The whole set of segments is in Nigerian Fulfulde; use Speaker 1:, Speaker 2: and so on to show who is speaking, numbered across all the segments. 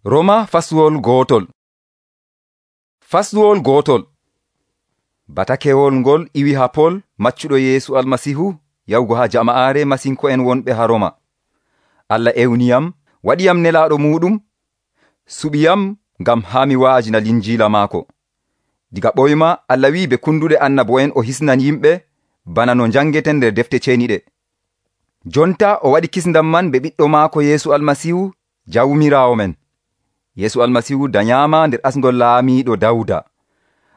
Speaker 1: Roma fasluwol gootol. Fasluwol gootol. Batakewol ngol iwi ha Pol maccuɗo Yeesu Almasihu yawgo ha jama'aare masinko'en wonɓe ha Roma. Allah ewniyam, waɗiyam nelaaɗo muɗum, suɓiyam ngam haa mi wa'ajina linjiila maako. Diga ɓoyma Allah wi be kunduɗe annabo'en o hisnan yimɓe bana no jangeten nder defte ceeniɗe. Jonta o waɗi kisndam man be ɓiɗɗo maako Yeesu Almasihu jawmiraawo men. Yeesu Almasihu danyama nder asngol laamiiɗo Dawda.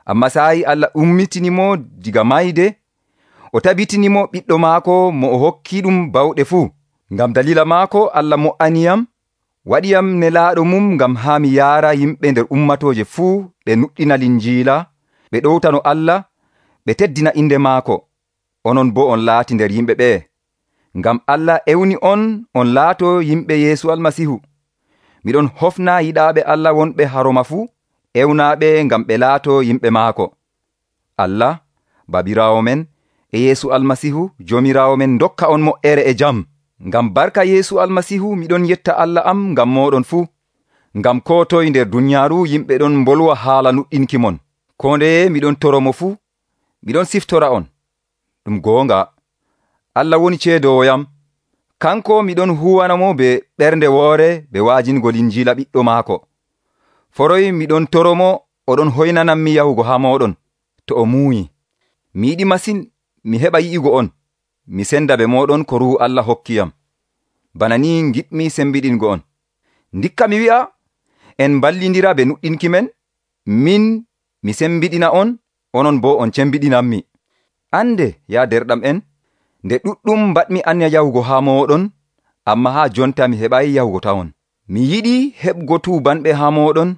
Speaker 1: Amma sa'i Allah ummitinimo diga mayde, o tabitinimo ɓiɗɗo maako mo o hokki ɗum bawɗe fuu. Ngam dalila maako Allah mo'aniyam, waɗiyam nelaaɗo mum ngam haa mi yaara yimɓe nder ummatooje fuu ɓe nuɗɗina linjiila, ɓe ɗowtano Allah, ɓe teddina inde maako. Onon bo on laati nder yimɓe ɓe. Ngam Allah ewni on laato yimɓe Yeesu Almasihu. Miɗon hofna yiɗaaɓe Allah wonɓe ha Roma fuu, ewnaaɓe ngam ɓe laato yimɓe maako. Allah, babiraawo men, e Yeesu Almasihu, joomiraawo men dokka on mo'ere e jam. Ngam barka Yeesu Almasihu miɗon yetta Allah am ngam mooɗon fuu. Ngam ko toye nder dunyaaru yimɓe ɗon mbolwa haala nuɗɗinki mon. Ko ndeye miɗon toromo fuu, miɗon siftora on. Ɗum goonga, Allah woni ceedowoyam. Kanko miɗon huwanamo be ɓernde woore be waajingo linjiila ɓiɗɗo maako. Foroy miɗon toromo oɗon hoynanammi yahugo ha moɗon to o muuyi. Mi yiɗi masin mi heɓa yi'igo on, mi senda be moɗon ko Ruuhu Allah hokkiyam. Bana ni giɗmi sembiɗingo on. Ndikka mi wi'a en ballindira be nuɗɗinki men, min mi sembiɗina on, onon bo on cembiɗinammi. Ande ya derɗam en, nde ɗuɗɗum mbaɗmi anya yahugo ha moɗon, amma ha jonta mi heɓayi yahugo tawon. Mi yiɗi heɓgo tuubanɓe ha moɗon,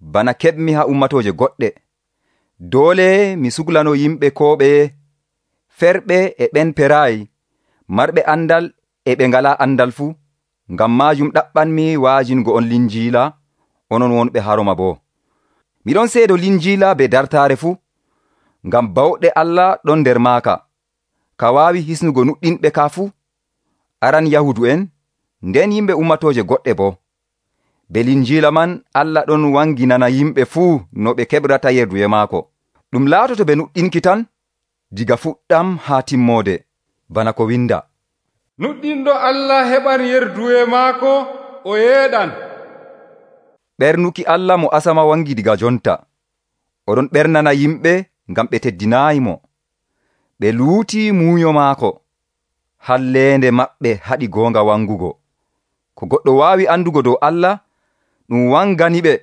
Speaker 1: bana keɓmi ha ummatooje goɗɗe. Doole mi suglano yimɓe ko ɓeye, ferɓe e ɓen perayi, marɓe andal e ɓe ngala andal fuu. Ngam majum ɗaɓɓanmi waajingo on linjiila, onon wonɓe ha Roma bo. Miɗon seedo linjiila be dartaare fuu, ngam bawɗe Allah ɗon nder maaka, ka waawi hisnugo nuɗɗinɓe ka fuu, aran Yahudu en, nden yimɓe ummatooje goɗɗe bo. Be linjiila man Allah ɗon wanginana yimɓe fuu no ɓe keɓrata yerduye maako. Ɗum laatoto be nuɗɗinki tan, diga fuɗɗam haa timmoode, bana ko winda.
Speaker 2: Nuɗɗinɗo Allah heɓan yerduye maako o yeeɗan.
Speaker 1: Ɓernuki Allah mo asama wangi diga jonta. Oɗon ɓernana yimɓe ngam ɓe teddinaayimo. Ɓe luuti muuyo maako. Halleende maɓɓe haɗi goonga wangugo. Ko goɗɗo waawi andugo dow Allah, ɗum wangani ɓe.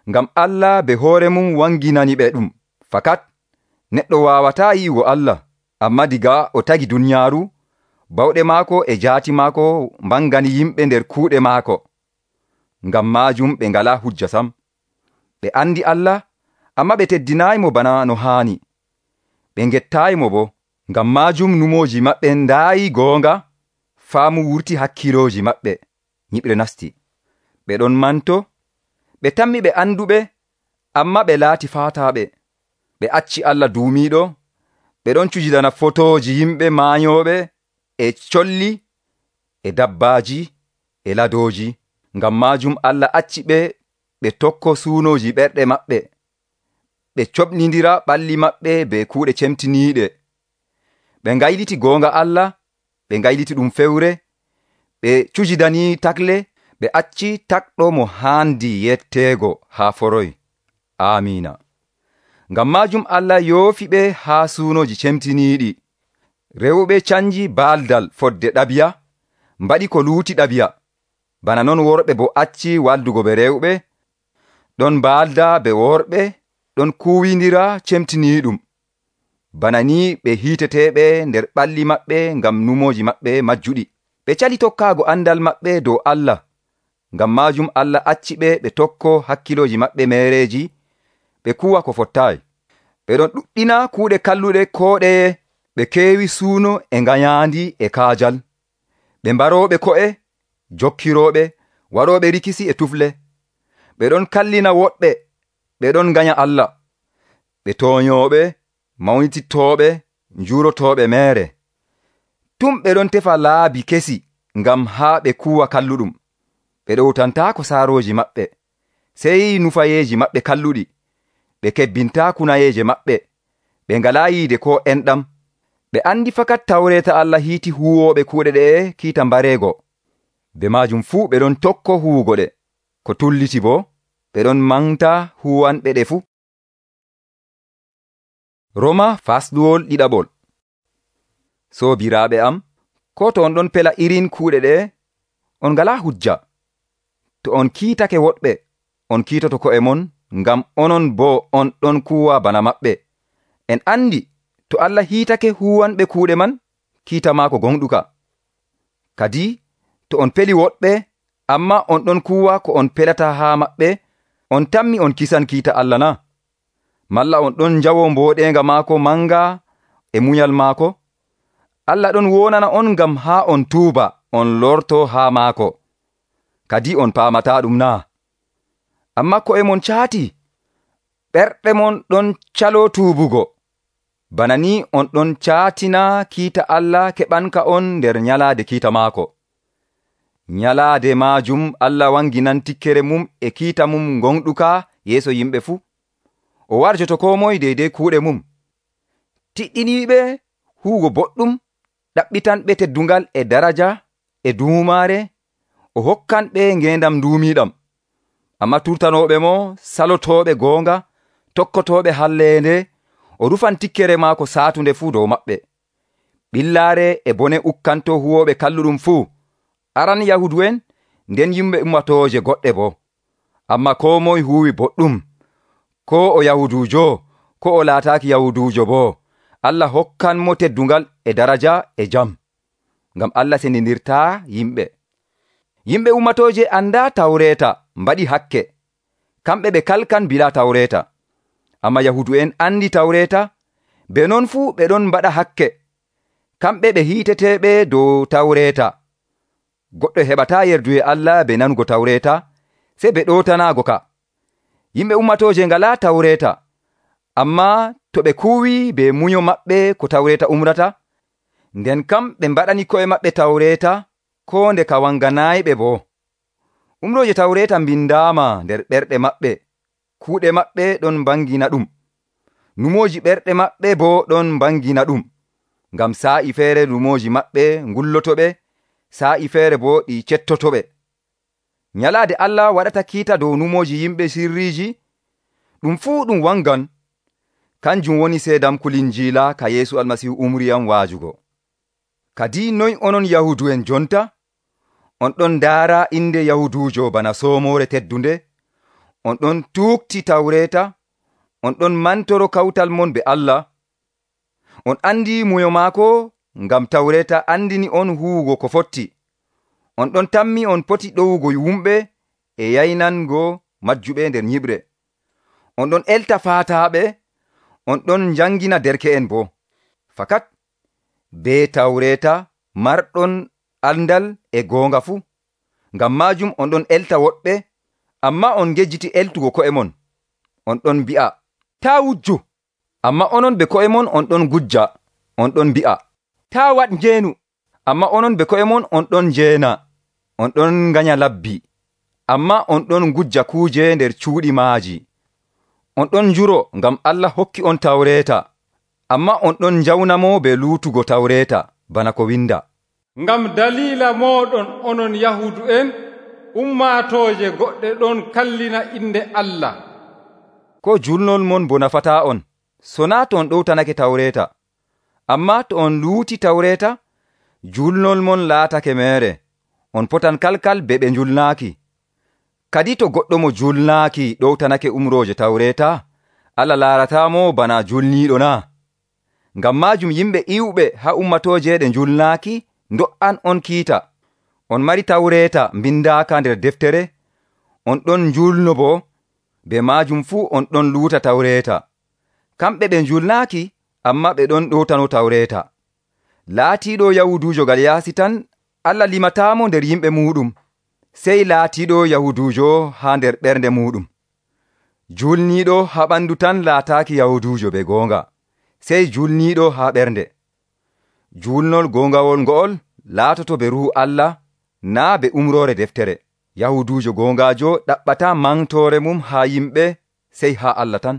Speaker 1: Ngam Allah be hoore mum wanginani ɓe ɗum. Fakat, neɗɗo waawataa yi'ugo Allah, amma diga o tagi dunyaaru, bawɗe maako e jaati maako mbangani yimɓe nder kuuɗe maako. Ngam maajum ɓe ngalaa hujja sam. Ɓe andi Allah, amma ɓe teddinaayimo bana no haani. Ɓe ngettaayimo bo. Ngam maajum numooji maɓɓe ndaayi goonga, faamu wurti hakkilooji maɓɓe. Nyiɓre nasti. Ɓe ɗon manto, ɓe tammi ɓe anduɓe, amma ɓe laati faataaɓe. Ɓe acci Allah duumiiɗo, ɓe ɗon cujidana fotooji yimɓe maanyooɓe, e colli, e dabbaaji, e ladooji. Ngam maajum Allah acci ɓe tokko suunooji ɓerɗe maɓɓe. Ɓe coɓnindira ɓalli maɓɓe be kuuɗe cemtiniiɗe. Ɓe ngayliti goonga Allah, ɓe ngayliti ɗum fewre, ɓe cujidani takle, ɓe acci takɗo mo haandi yetteego haa foroy. Amiina. Ngam maajum Allah yoofi ɓe haa suunoji cemtiniiɗi. Rewɓe canji baaldal fodde ɗabiya, mbaɗi ko luuti ɗabiya. Bana non worɓe bo acci waldugo be rewɓe, ɗon baalda be worɓe, ɗon kuwindira cemtiniiɗum. Bana ni ɓe hiiteteɓe nder ɓalli maɓɓe ngam numoji maɓɓe majjuɗi. Ɓe cali tokkaago andal maɓɓe dow Allah. Ngam maajum Allah acci ɓe tokko hakkiloji maɓɓe meereji, ɓe kuwa ko fottaayi. Ɓe ɗon ɗuɗɗina kuuɗe kalluɗe ko ɗeye, ɓe keewi suuno e ngayaandi e kaajal. Ɓe mbarooɓe ko'e, jokkirooɓe, waɗooɓe rikisi e tufle. Ɓe ɗon kallina woɗɓe, ɓe ɗon nganya Allah. Ɓe tooñooɓe, mawnititooɓe, njuurotooɓe meere. Tum ɓe ɗon tefa laabi kesi ngam haa ɓe kuwa kalluɗum. ɓe ɗowtantaako saarooji maɓɓe, sey nufayeeji maɓɓe kalluɗi. Ɓe kebbintaa kunayeeje maɓɓe, ɓe ngalaa yiide koo enɗam. Ɓe andi fakat tawreeta Allah hiiti huwooɓe kuuɗe ɗe'e kiita mbareego. Be maajum fuu ɓe ɗon tokko huwugo ɗe, ko tulliti boo ɓe ɗon manta huwanɓe ɗe fuu. Roma fasɗuwol ɗiɗaɓol. Soobiraaɓe am, ko to on ɗon pela irin kuuɗe ɗe, on ngalaa hujja. To on kiitake woɗɓe, on kiitoto ko'e mon, ngam onon boo on ɗon kuuwa bana maɓɓe. En andi to Allah hiitake huwanɓe kuuɗe man, kiita maako gonɗuka. Kadi to on peli woɗɓe, amma on ɗon kuuwa ko on pelata haa maɓɓe, on tammi on kisan kiita Allah na? Malla on ɗon njawo mbooɗeenga maako manga e munyal maako? Allah ɗon wonana on ngam haa on tuuba, on lorto haa maako. Kadi on paamataa ɗum naa? Amma ko'e mon caati, ɓerɗe mon ɗon caloo tuubugo. Bana ni on ɗon caatina kiita Allah keɓanka on nder nyalaade kiita maako. Nyalaade maajum Allah wanginan tikkere mum e kiita mum gonɗuka yeeso yimɓe fuu. O warjoto koo moye deydey kuuɗe mum. Tiɗɗiniiɓe huugo boɗɗum, ɗaɓɓitanɓe teddungal e daraja e duumaare, o hokkanɓe ngeendam nduumiiɗam. Amma turtanooɓe mo, salotooɓe goonga, tokkotooɓe halleende, o rufan tikkere maako saatunde fuu dow maɓɓe. Ɓillaare e bone ukkanto huwooɓe kalluɗum fuu, aran Yahudu'en, nden yimɓe ummatooje goɗɗe boo. Amma koo moye huuwi boɗɗum, ko o Yahuduujo, ko o laataaki Yahuduujo boo, Allah hokkan mo teddungal e daraja e jam, ngam Allah sendindirtaa yimɓe. Yimɓe ummatooje andaa tawreeta mbaɗi hakke, kamɓe ɓe kalkan bilaa tawreeta. Amma Yahudu'en andi tawreeta, be non fuu ɓe ɗon mbaɗa hakke, kamɓe ɓe hiiteteeɓe dow tawreeta. Goɗɗo heɓataa yerduye Allah be nanugo tawreeta, sey ɓe ɗootanaago ka. Yimɓe ummatooje ngalaa tawreeta, amma to ɓe kuuwi be munyo maɓɓe ko tawreeta umrata, nden kam ɓe mbaɗani ko'e maɓɓe tawreeta, koo nde ka wanganaayiɓe boo. Umrooje tawreeta mbindaama nder ɓerɗe maɓɓe, kuuɗe maɓɓe ɗon mbangina ɗum. Numooji ɓerɗe maɓɓe boo ɗon mbangina ɗum, ngam saa'i feere numooji maɓɓe ngullotoɓe, saa'i feere boo ɗi cettotoɓe. Nyalaade Allah waɗata kiita dow numooji yimɓe sirriiji, ɗum fuu ɗum wangan. Kanjum woni seedam kulinjiila ka Yeesu Almasiihu umriyam waajugo. Kadi noy onon Yahudu'en jonta? On ɗon ndaara inde Yahuduujo bana soomoore teddunde, on ɗon tuukti tawreeta, on ɗon mantoro kawtal mon be Allah. On andi muyo maako, ngam tawreeta andini on huwugo ko fotti. On ɗon tammi on poti ɗowugo wumɓe e yaynango majjuɓe nder nyiɓre. On ɗon elta faataaɓe, on ɗon njangina derke'en boo. Fakat be tawreeta marɗon andal e goonga fuu. Ngam maajum on ɗon elta woɗɓe, amma on ngejjiti eltugo ko'e mon. On ɗon mbi'a, taa wujju, amma onon be ko'e mon on ɗon gujja. On ɗon mbi'a, taa waɗ njeenu, amma onon be ko'e mon on ɗon njeena. On ɗon nganya labbi, amma on ɗon gujja kuuje nder cuuɗi maaji. On ɗon njuro ngam Allah hokki on tawreeta, amma on ɗon njawnamo be luutugo tawreeta, bana ko winda.
Speaker 2: Ngam dalila moɗon onon Yahudu'en, ummatooje goɗɗe ɗon kallina inde Allah.
Speaker 1: Ko julnol mon bo nafataa on, so naa to on ɗowtanake tawreeta. Amma to on luuti tawreeta, julnol mon laatake meere. On potan kalkal be ɓe njulnaaki. Kadi to goɗɗo mo julnaaki ɗowtanake umrooje tawreeta, Allah laaratamo bana julniiɗo na? Ngam maajum yimɓe iwɓe haa ummatooje ɗe njulnaaki ndo'an on kiita. On mari tawreeta mbindaaka nder deftere, on ɗon njulno boo, be maajum fuu on ɗon luuta tawreeta. Kamɓe ɓe njulnaaki, amma ɓe ɗon ɗowtano tawreeta. Laatiiɗo Yahuduujo gal yaasi tan, Allah limataamo nder yimɓe muuɗum, sey laatiiɗo Yahuduujo haa nder ɓernde muuɗum. Julniiɗo haa ɓandu tan laataaki Yahuduujo be goonga, sey julniiɗo haa ɓernde. Julnol goongawol ngo'ol laatoto be Ruhu Allah, naa be umroore deftere. Yahuduujo goongaajo ɗaɓɓataa mantoore mum haa yimɓe sey haa Allah tan.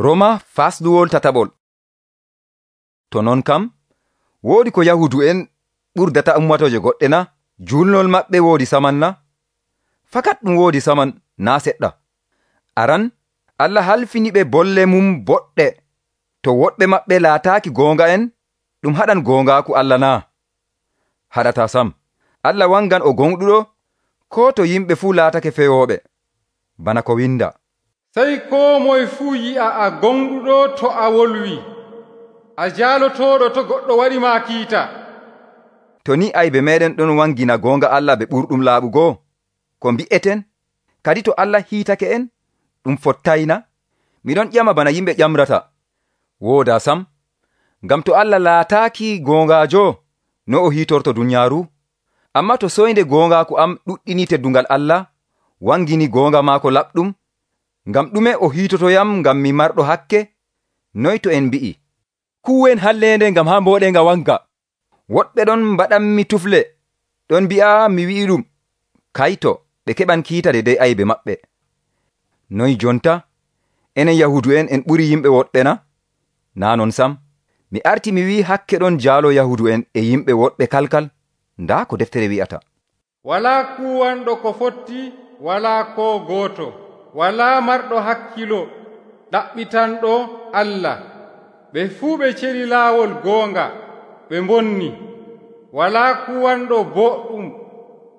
Speaker 1: Roma fasluwol tataɓol. To non kam, woodi ko Yahudu'en ɓurdata ummatooje goɗɗe na? Julnol maɓɓe woodi saman na? Fakat ɗum woodi saman naa seɗɗa. Aran, Allah halfini ɓe bolle mum boɗɗe. To woɗɓe maɓɓe laataaki goonga'en, ɗum haɗan goongaaku Allah naa? Haɗataa sam. Allah wangan o gonɗuɗo, koo to yimɓe fuu laatake fewooɓe. Bana ko winda.
Speaker 2: Sey koo moye fuu yi'a a gonɗuɗo to a wolwi, a jaalotooɗo to goɗɗo waɗi maa kiita.
Speaker 1: To ni aybe meɗen ɗon wangina goonga Allah ɓe ɓurɗum laaɓugo, ko mbi'eten, kadi to Allah hiitake en, ɗum fottayna? Miɗon ƴama bana yimɓe ƴamrata. Wooda sam, ngam to Allah laataaki goongaajo, no o hiitorto dunyaaru? Amma to soynde goongaaku am ɗuɗɗini teddungal Allah, wangini goonga maako laɓɗum, ngam ɗume o hiitotoyam ngam mi marɗo hakke? Noy to en mbi'i, kuwen halleende ngam haa mbooɗenga wanga. Woɗɓe ɗon mbaɗanmi tufle, ɗon mbi'a mi wi'iɗum, kayto ɓe keɓan kiita dey aybe maɓɓe. Noy jonta, enen Yahudu'en en ɓuri yimɓe woɗɓe na? Naa non sam, mi arti mi wi'i hakke ɗon jaalo Yahudu'en e yimɓe woɗɓe kalkal. Ndaa ko deftere wi'ata.
Speaker 2: Walaa kuwanɗo ko fotti, walaa koo gooto, walaa marɗo hakkilo, ɗaɓɓitanɗo Allah. Ɓe fuu ɓe celi laawol goonga, ɓe mbonni. Walaa kuwanɗo boɗɗum,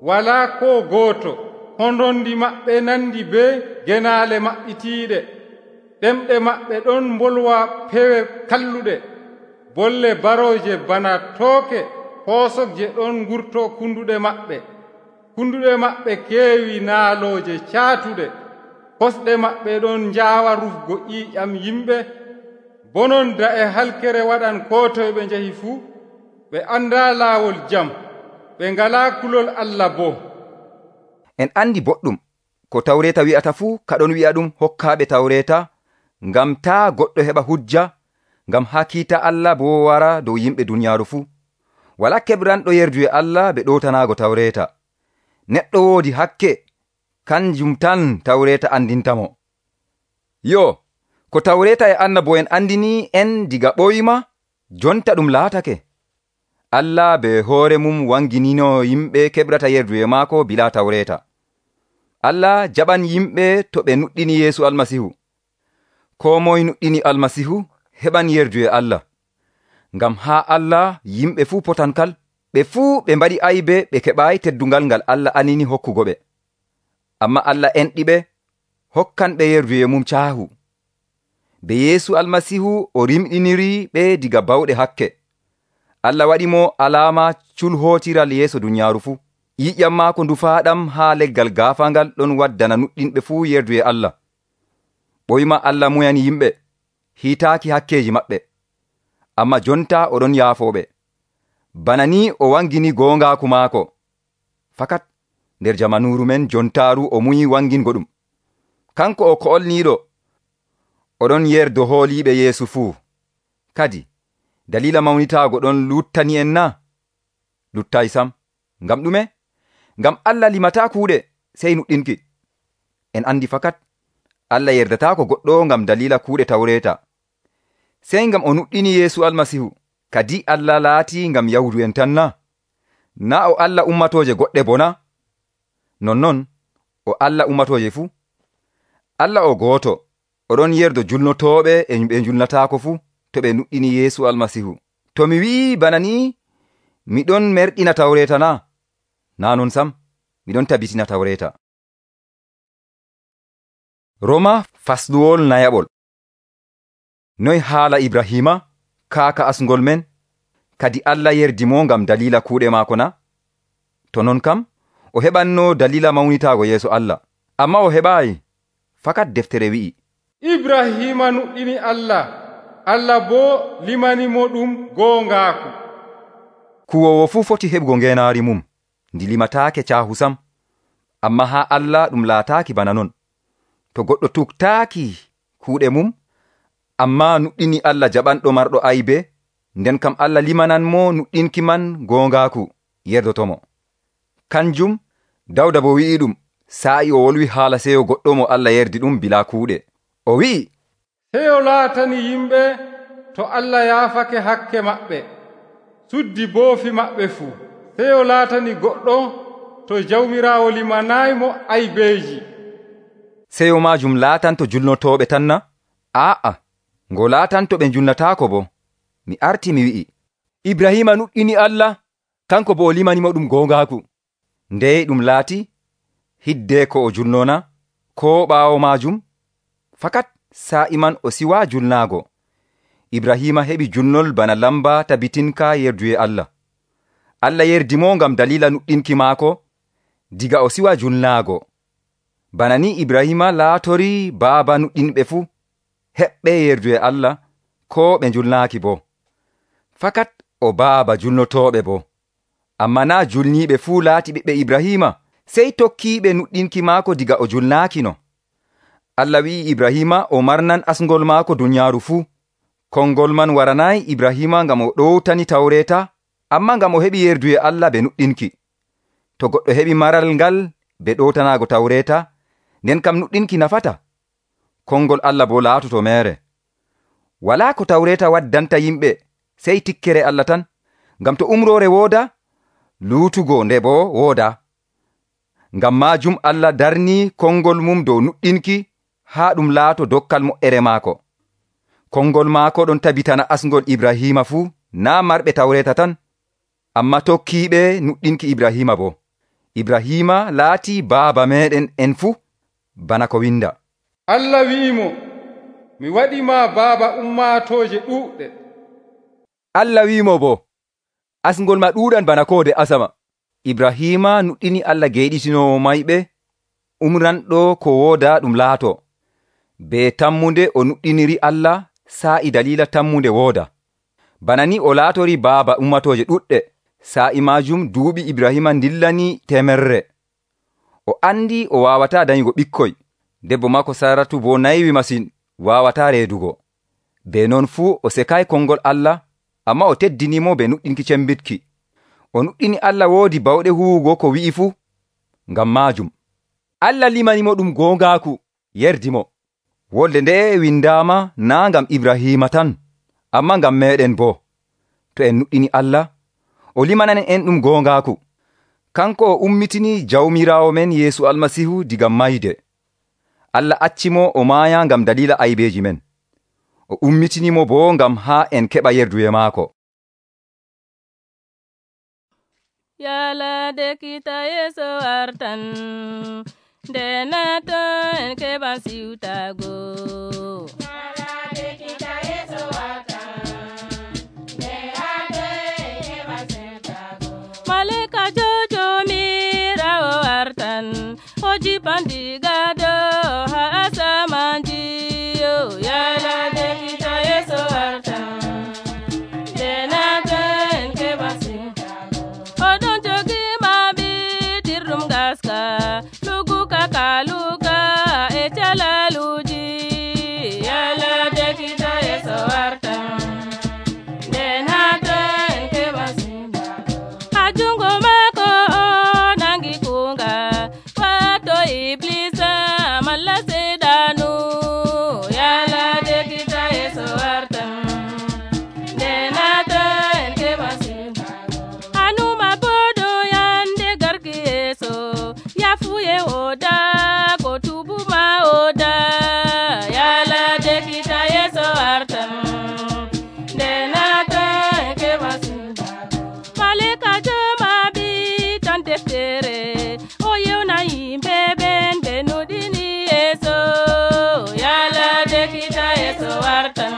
Speaker 2: walaa koo gooto. Hondondi maɓɓe nandi bee genaale maɓɓitiiɗe. Ɗemɗe maɓɓe ɗon mbolwa pewe kalluɗe. Bolle barooje bana tooke hoosokje ɗon ngurto kunduɗe maɓɓe. Kunduɗe maɓɓe keewi naalooje caatuɗe. Kosɗe maɓɓe ɗon njaawa rufgo ƴiiƴam yimɓe. Bononda e halkere waɗan koo toye ɓe njahi fuu. Ɓe andaa laawol jam, ɓe ngalaa kulol Allah boo.
Speaker 1: En andi boɗɗum ko tawreeta wi'ata fuu kaɗon wi'a ɗum hokkaaɓe tawreeta, ngam taa goɗɗo heɓa hujja, ngam haa kiita Allah boo wara dow yimɓe dunyaaru fuu. Walaa keɓranɗo yerdu e Allah ɓe ɗootanaago tawreeta. Neɗɗo woodi hakke, kanjum tan tawreeta andintamo. Yo, ko tawreeta e annabo'en andini en diga ɓoyma, jonta ɗum laatake. Allah be hoore mum wanginino yimɓe keɓrata yerdu e maako bilaa tawreeta. Allah jaɓan yimɓe to ɓe nuɗɗini Yeesu Almasihu. Koo moye nuɗɗini Almasihu heɓan yerdu e Allah. Ngam haa Allah yimɓe fuu potankal, ɓe fuu ɓe mbaɗi aybe ɓe keɓaayi teddungal ngal Allah anini hokkugo ɓe. Amma Allah enɗiɓe, hokkan ɓe yerdu e mum caahu. Be Yeesu Almasihu o rimɗiniri ɓe diga bawɗe hakke. Allah waɗi mo alaama culhootiral yeeso dunyaaru fuu. Ƴiƴam maako ndufaaɗam haa leggal gaafangal ɗon waddana nuɗɗinɓe fuu yerdu e Allah. Ɓoyma Allah muyani yimɓe, hiitaaki hakkeeji maɓɓe. Amma jonta oɗon yaafooɓe. Bana ni o wangini goongaaku maako. Fakat nder jamanuuru men jontaaru o muyi wangingo ɗum. Kanko o ko'olniiɗo, oɗon yerdo hooliiɓe Yeesu fuu. Kadi dalila mawnitaago ɗon luttani en na? Luttay sam. Ngam ɗume? Ngam Allah limataa kuuɗe sey nuɗɗinki. En andi fakat Allah yerdataako goɗɗo ngam dalila kuuɗe tawreeta. Sey ngam o nuɗɗini Yeesu Almasihu, kadi Allah laati ngam Yahudu'en tan na? Naa o Allah ummatooje goɗɗe bona? Nonnon o Allah ummatooje fuu. Allah o gooto, oɗon yerdo julnotooɓe e ɓe julnataako fuu to ɓe nuɗɗini Yeesu Almasihu. To mi wi'i bana ni, miɗon merɗina tawreeta na? Naa non sam, miɗon tabitina tawreeta. Roma fasluwol nayaɓol. Noy haala Ibrahima, kaaka asngol men, kadi Allah yerdi mo ngam dalila kuuɗe maako na? To non kam, o heɓanno dalila mawnitaago yeeso Allah. Amma o heɓaayi, fakat deftere wi'i.
Speaker 2: Ibrahima nuɗɗini Allah, Allah boo limani mo ɗum goongaaku.
Speaker 1: Kuwowo fuu foti heɓgo ngeenaari mum, ndi limataake caahu sam. Amma haa Allah ɗum laataaki bana non. To goɗɗo tuktaaki kuuɗe mum, amma nuɗɗini Allah jaɓanɗo marɗo aybe, nden kam Allah limanan mo nuɗɗinki man goongaaku yerdotomo. Kanjum Dawda bo wi'i ɗum sa'i o wolwi haala seyo goɗɗo mo Allah yerdi ɗum bilaa kuuɗe. O wi'i,
Speaker 2: seyo laatani yimɓe to Allah yaafake hakke maɓɓe, suddi boofi maɓɓe fuu. Seyo laatani goɗɗo to Jawmiraawo limanaymo aybeeji.
Speaker 1: Seyo maajum laatanto julnotooɓe tan na? Aa'a, ngo laatanto ɓe julnataako bo. Mi arti mi wi'i, Ibrahima nuɗɗini Allah, kanko bo o limanimo ɗum goongaaku. Ndey ɗum laati hiddee ko o julnona, ko ɓaawo maajum? Fakat sa'i man o siwaa julnaago. Ibrahima heɓi julnol bana lamba tabitinka yerduye Allah. Allah yerdimo ngam dalila nuɗɗinki maako, diga o siwa julnaago. Bana ni Ibrahima laatori baaba nuɗɗinɓe fuu, heɓɓe yerduye Allah, ko ɓe julnaaki bo. Fakat o baaba julnotooɓe bo. Amma naa julniiɓe fuu laati ɓiɓɓe Ibrahima, sey tokkiiɓe nuɗɗinki maako diga o julnaakino. Allah wi'i Ibrahima o marnan asngol maako dunyaaru fuu. Konngol man waranayi Ibrahima ngam o ɗowtani tawreeta, amma ngam o heɓi yerduye Allah be nuɗɗinki. To goɗɗo heɓi maral ngal be ɗowtanaago tawreeta, nden kam nuɗɗinki nafata. Konngol Allah bo laatoto meere. Walaa ko tawreeta waddanta yimɓe sey tikkere Allah tan, ngam to umroore wooda, luutugo nde bo wooda. Ngam maajum Allah darnii konngol mum dow nuɗɗinki haa ɗum laato dokkal moƴƴere maako. Konngol maako ɗon tabitana asngol Ibrahima fuu, naa marɓe tawreeta tan, amma tokkiiɓe nuɗɗinki Ibrahima bo. Ibrahima laatii baaba meeɗen en fuu, bana ko winda.
Speaker 2: Allah wi'imo, mi waɗima baaba ummaatooje ɗuuɗɗe.
Speaker 1: Allah wi'imo bo, asngol ma ɗuuɗan bana koode asama. Ibrahima nuɗɗini Allah geyɗitinowo mayɓe, umranɗo ko wooda ɗum laato. Be tammunde o nuɗɗiniri Allah sa'i dalila tammunde wooda. Bana ni o laatori baaba ummatooje ɗuɗɗe. Sa'i maajum duuɓi Ibrahima dillani 100. O andi o waawata danyugo ɓikkoy. Debbo maako Saratu bo naywi masin, waawata reedugo. Be non fuu o sekay konngol Allah, amma o teddinimo be nuɗɗinki cembitki. O nuɗɗini Allah woodi bawɗe huwugo ko wi'i fuu. Ngam maajum Allah limanimo ɗum goongaaku, yerdimo. Wolde nde windaama naa ngam Ibrahima tan, amma ngam meeɗen bo. To en nuɗɗini Allah, o limanan en ɗum goongaaku. Kanko o ummitini Jawmiraawo men Yeesu Almasihu diga mayde. Allah accimo o maaya ngam dalila aybeeji men. O ummitinimo bo ngam haa en keɓa yerduye maako.
Speaker 3: Yalade kita Yesu wartan, denato en keɓa siwtago. Yalade kita Yesu wartan, denato en keɓa siwtago. Malika jojo mirawo wartan, o jipan diga do ha asamanji. Yalade kita Yesu wartan, denato en keɓa siwtago. Odon jogi mabi tirrum gaska, lugu kakaluka e chalaluji. Yalade kita Yesu wartan, denato en keɓa siwtago. Ajungo mako o nangi kunga, wato iblisa malla sedanu. Yalade kita Yesu wartan, denato en keɓa siwtago. Anuma bodo yande garki Yesu, yafuye oda ko tubuma oda. Yalade kita Yesu wartan, denato en keɓa siwtago. Malika joma bi tan deftere, o yewna yimɓe ɓen ɓe nuɗini Yesu. Yalade kita Yesu wartan,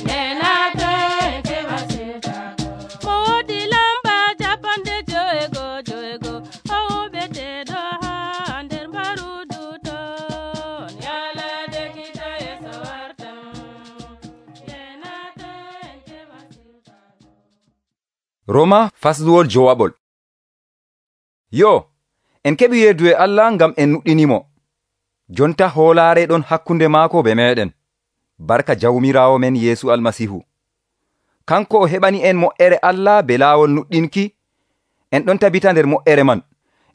Speaker 3: denato en keɓa siwtago. Mo wodi lamba japande jo'ego, o wuɓeteɗo ha nder mbarudu ton. Yalade kita Yesu wartan, denato en keɓa siwtago.
Speaker 1: Roma fasluwol jowaɓol. Yo, en keɓi yerduye Allah ngam en nuɗɗinimo. Jonta hoolaare ɗon hakkunde maako be meɗen, barka Jawmiraawo men Yeesu Almasihu. Kanko o heɓani en moƴƴere Allah be laawol nuɗɗinki, en ɗon tabita nder moƴƴere man.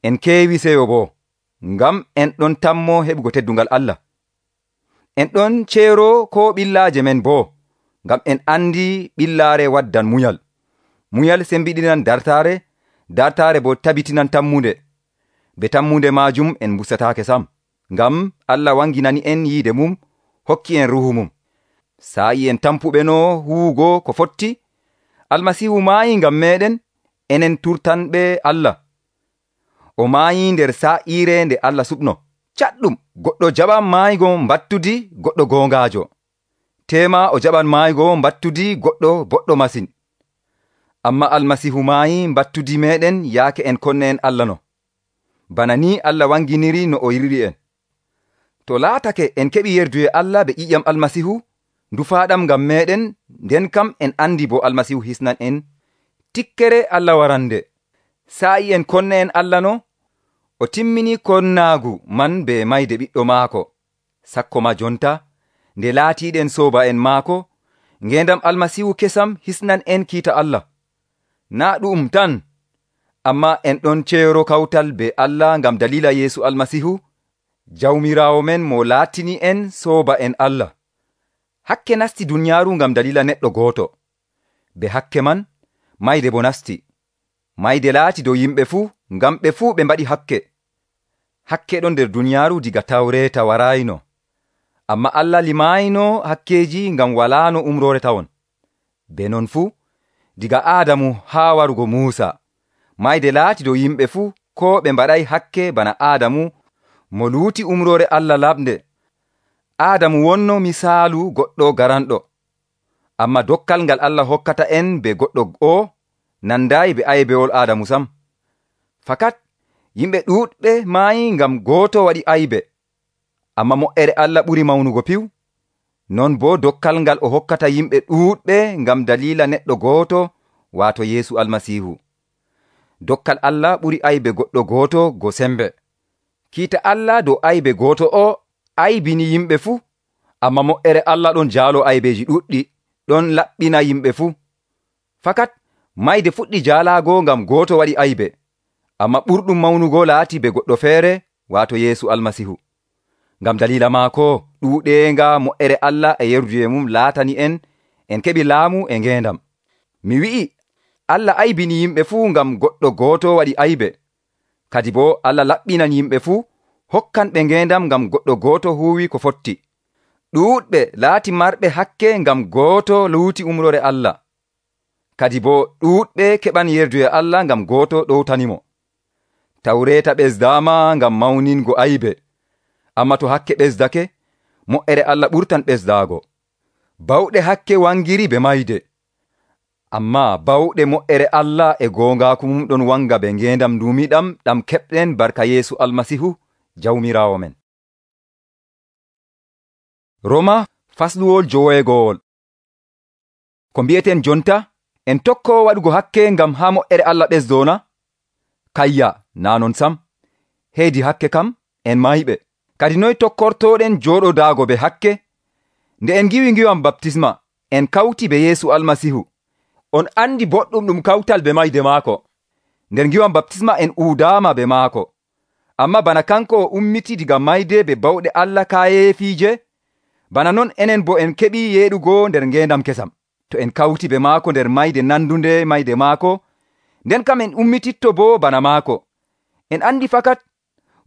Speaker 1: en keewi seyo boo, ngam en ɗon tammo heɓugo teddungal Allah. En ɗon ceero ko ɓillaaje men boo, ngam en andi ɓillaare waddan munyal. Munyal sembiɗinan dartaare, dartaare boo tabitinan tammunde. Be tammunde maajum en mbustataake sam, ngam Allah wanginani en yiide mum, hokki en ruhu mum. Saa'i en tampuɓenoo huwugo ko fotti, Almasiihu maayi ngam meeɗen, enen turtanɓe Allah. O maayi nder sa'iire nde Allah suɓno. Caɗɗum, goɗɗo jaɓan maaygo mbattudi goɗɗo goongaajo. Teema o jaɓan maaygo mbattudi goɗɗo boɗɗo masin. Amma Almasiihu maayi mbattudi meeɗen yaake en konne en Allah no. Bana ni Allah wanginiri no o yiɗiri en. To laatake en keɓi yerduye Allah be ƴiƴam Almasiihu, ndufaaɗam ngam meeɗen, nden kam en andi bo Almasiihu hisnan en tikkere Allah warande. Sa'i en konne en Allah no, o timmini konnaagu man be mayde ɓiɗɗo maako. Sakko ma jonta, nde laatiiɗen sooba en maako, ngendam Almasiihu kesam hisnan en kiita Allah. Naa ɗum tan, amma en ɗon ceero kawtal be Allah ngam dalila Yeesu Almasiihu, jawmiraawo men mo laatini en sooba en Allah. Hakke nasti duniyaaru ngam dalila neɗɗo gooto. Be hakke man, mayde bo nasti. Mayde laati dow yimɓe fuu, ngam ɓe fuu ɓe mbaɗi hakke. Hakke ɗon nder duniyaaru diga Tawreeta waraayno. Amma Allah limaayno hakkeeji ngam walaano umroore tawon. Be non fuu, diga Aadamu haa warugo Muusa, mayde laati dow yimɓe fuu, ko ɓe mbaɗay hakke bana Aadamu mo luuti umroore Allah laɓnde. Aadamu wonno misaalu goɗɗo garanɗo. Amma dokkal ngal Allah hokkata en be goɗɗo o nandayi be aybewol Aadamu sam. Fakat yimɓe ɗuuɗɓe maayi ngam gooto waɗi aybe. Amma mo'ere Allah ɓuri mawnugo piw. Non bo dokkal ngal o hokkata yimɓe ɗuuɗɓe ngam dalila neɗɗo gooto, waato Yeesu Almasiihu. Dokkal Allah ɓuri aybe goɗɗo gooto go sembe. Kiita Allah dow aybe gooto o aybini yimɓe fuu, amma mo'ere Allah ɗon jaalo aybeji ɗuɗɗi, ɗon laɓɓina yimɓe fuu. Fakat mayde fuɗɗi jaalaago ngam gooto waɗi aybe, amma ɓurɗum mawnugo laati be goɗɗo feere, waato Yeesu Almasiihu. Ngam dalila maako ɗuuɗeenga mo'ere Allah e yerduye mum laatani en keɓi laamu e ngendam. Mi wi'i Allah aybini yimɓe fuu ngam goɗɗo gooto waɗi aybe. Kadi bo Allah laɓɓinan yimɓe fuu, hokkan ɓe ngendam ngam goɗɗo gooto huuwi ko fotti. Ɗuuɗɓe laati marɓe hakke ngam gooto luuti umrore Allah. Kadi bo ɗuuɗɓe keɓan yerduye Allah ngam gooto ɗowtanimo. Tawreeta ɓesdaama ngam mawningo aybe. Amma to hakke ɓesdake, mo'ere Allah ɓurtan ɓesdaago. Bawɗe hakke wangiri be mayde. Amma bawɗe mo'ere Allah e goongaaku mum ɗon wanga be ngendam ndumiɗam ɗam keɓɗen barka Yeesu Almasiihu, jawmiraawo men. Roma fasluwol 9. Ko mbi'eten jonta, en tokko waɗugo hakke ngam haa mo'ere Allah ɓesdona? Kayya, naa non sam. Heedi hakke kam, en mayɓe. Kadi noy tokkortoɗen jooɗodaago be hakke? Nde en ngiwi ngiwam baptisma, en kawti be Yeesu Almasiihu. On andi boɗɗum ɗum kawtal be mayde maako. Nder ngiwam baptisma en uudaama be maako. Amma bana kanko o ummiti diga mayde be bawɗe Allah kaayeefiije, bana non enen bo en keɓi yeeɗugo nder ngendam kesam. To en kawti be maako nder mayde nandunde mayde maako, nden kam en ummititto bo bana maako. En andi fakat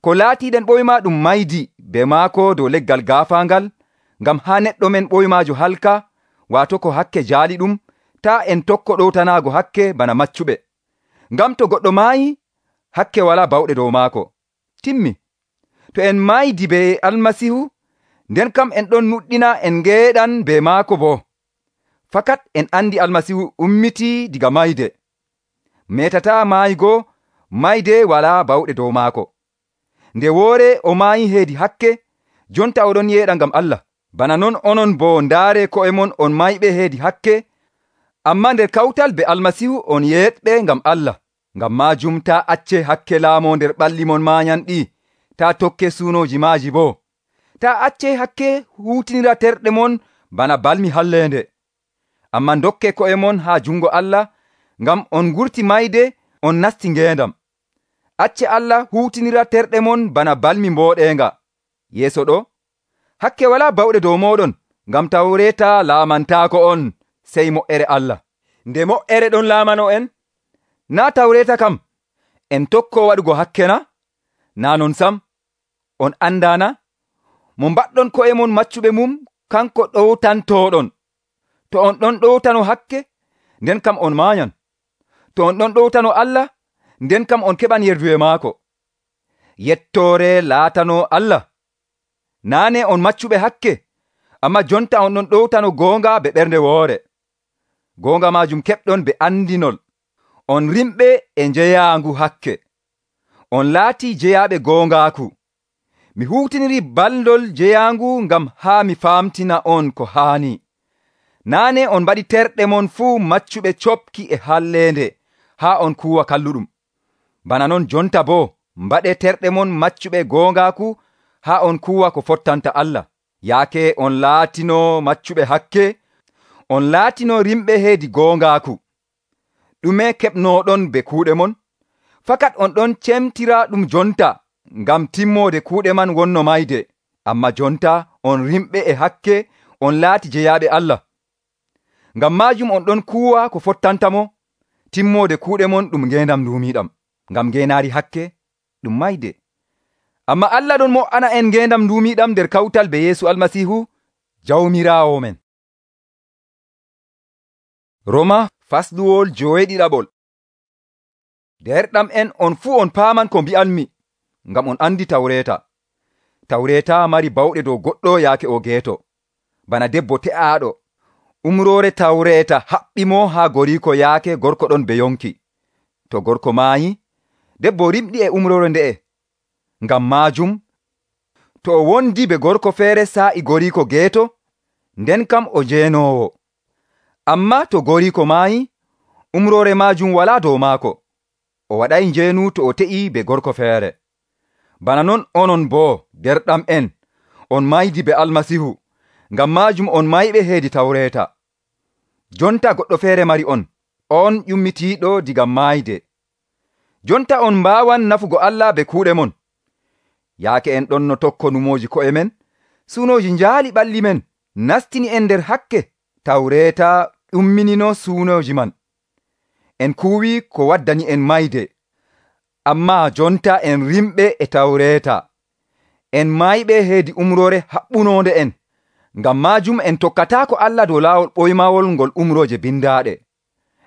Speaker 1: ko laatiɗen ɓoyma ɗum maydi be maako dow leggal gaafaangal, ngam haa neɗɗo men ɓoymaajo halka, waato ko hakke jaali ɗum, taa en tokko ɗowtanaago hakke bana maccuɓe. Ngam to goɗɗo maayi, hakke wala bawɗe dow maako. Timmi. To en maydi be Almasiihu, nden kam en ɗon nuɗɗina en ngeeɗan be maako bo. Fakat en andi Almasiihu ummiti diga mayde. Metata maaygo, mayde wala bawɗe dow maako. Nde woore o maayi heedi hakke, jonta oɗon yeeɗa ngam Allah. Bana non onon bo ndaare ko'e mon on mayɓe heedi hakke, amma nder kawtal be Almasiihu on yeeɗɓe ngam Allah. Ngam maajum taa acce hakke laamo nder ɓalli mon maanyanɗi, taa tokke suunoji maaji bo. Taa acce hakke huutinira terɗe mon bana balmi halleende. Amma dokke ko'e mon haa jungo Allah, ngam on ngurti mayde, on nasti ngendam. Acce Allah huutinira terɗe mon bana balmi mbooɗeenga. Yeeso ɗo, hakke walaa bawɗe dow mooɗon, ngam Tawreeta laamantaako on sey mo'ere Allah. Nde mo'ere ɗon laamano en, naa Tawreeta kam en tokkoo waɗugo hakke na? Naa non sam, on andaana? Mo mbaɗɗon ko'e mon maccuɓe mum, kanko ɗowtantooɗon. To on ɗon ɗowtano hakke, nden kam on maanyan. To on ɗon ɗowtano Allah, nden kam on keɓan yerduwe maako. Yettoore laatano Allah. Naane on maccuɓe hakke, amma jonta on ɗon ɗowtano goonga be ɓernde woore. Goonga maajum keɓɗon be andinol. On rimɓe e njeyaangu hakke. On laatii jeyaaɓe goongaaku. Mi huutiniri baldol jeyaangu ngam haa mi faamtina on ko haani. Naane on mbaɗi terɗe mon fuu maccuɓe copki e halleende haa on kuuwa kalluɗum. Bana non jonta boo mbaɗe terɗe mon maccuɓe goongaaku haa on kuuwa ko fottanta Allah. Yaake on laatino maccuɓe hakke, on laatino rimɓe heedi goongaaku. Ɗume keɓnooɗon be kuuɗe mon? Fakat on ɗon cemtira ɗum jonta ngam timmoode kuuɗe man wonno mayde. Amma jonta on rimɓe e hakke, on laati jeyaaɓe Allah. Ngam maajum on ɗon kuuwa ko fottanta mo, timmoode kuuɗe mon ɗum ngeendam nduumiiɗam. Ngam ngeenaari hakke ɗum mayde. Amma Allah ɗon mo'ana en ngeendam nduumiiɗam nder kawtal be Yeesu Almasiihu jawmiraawo men. Roma fasluwol 7. Derɗam en on fuu on paaman ko mbi'anmi, ngam on andi Tawreeta. Tawreeta mari bawɗe dow goɗɗo yaake o geeto, bana debbo te'aaɗo. Umroore Tawreeta haɓɓi mo haa goriiko yaake gorko ɗon be yonki. To gorko maayi, debbo rimɗi e umroore nde'e. Ngam maajum, to o wondi be gorko feere saa'i goriiko geeto, nden kam o jeenoowo. Amma to goriiko maayi, umroore maajum walaa dow maako. O waɗay njeenu to o te'i be gorko feere. Bana non onon boo, derɗam en, on maydi be Almasihu, ngam maajum on mayɓe heedi Tawreeta. Jonta goɗɗo feere mari on ƴummitiiɗo diga maayde. Jonta on mbaawan nafugo Allah be kuuɗe mon. Yaake en ɗon no tokko numooji ko'e men, suunooji njaali ɓalli men, nastini en nder hakke. Tawreeta ɗumminino suunooji man. En kuwii ko waddani en mayde. Amma jonta en rimɓe e Tawreeta. En mayɓe heedi umroore haɓɓunoonde en. Ngam maajum en tokkataako Allah dow laawol ɓoymawol ngol umrooje bindaaɗe.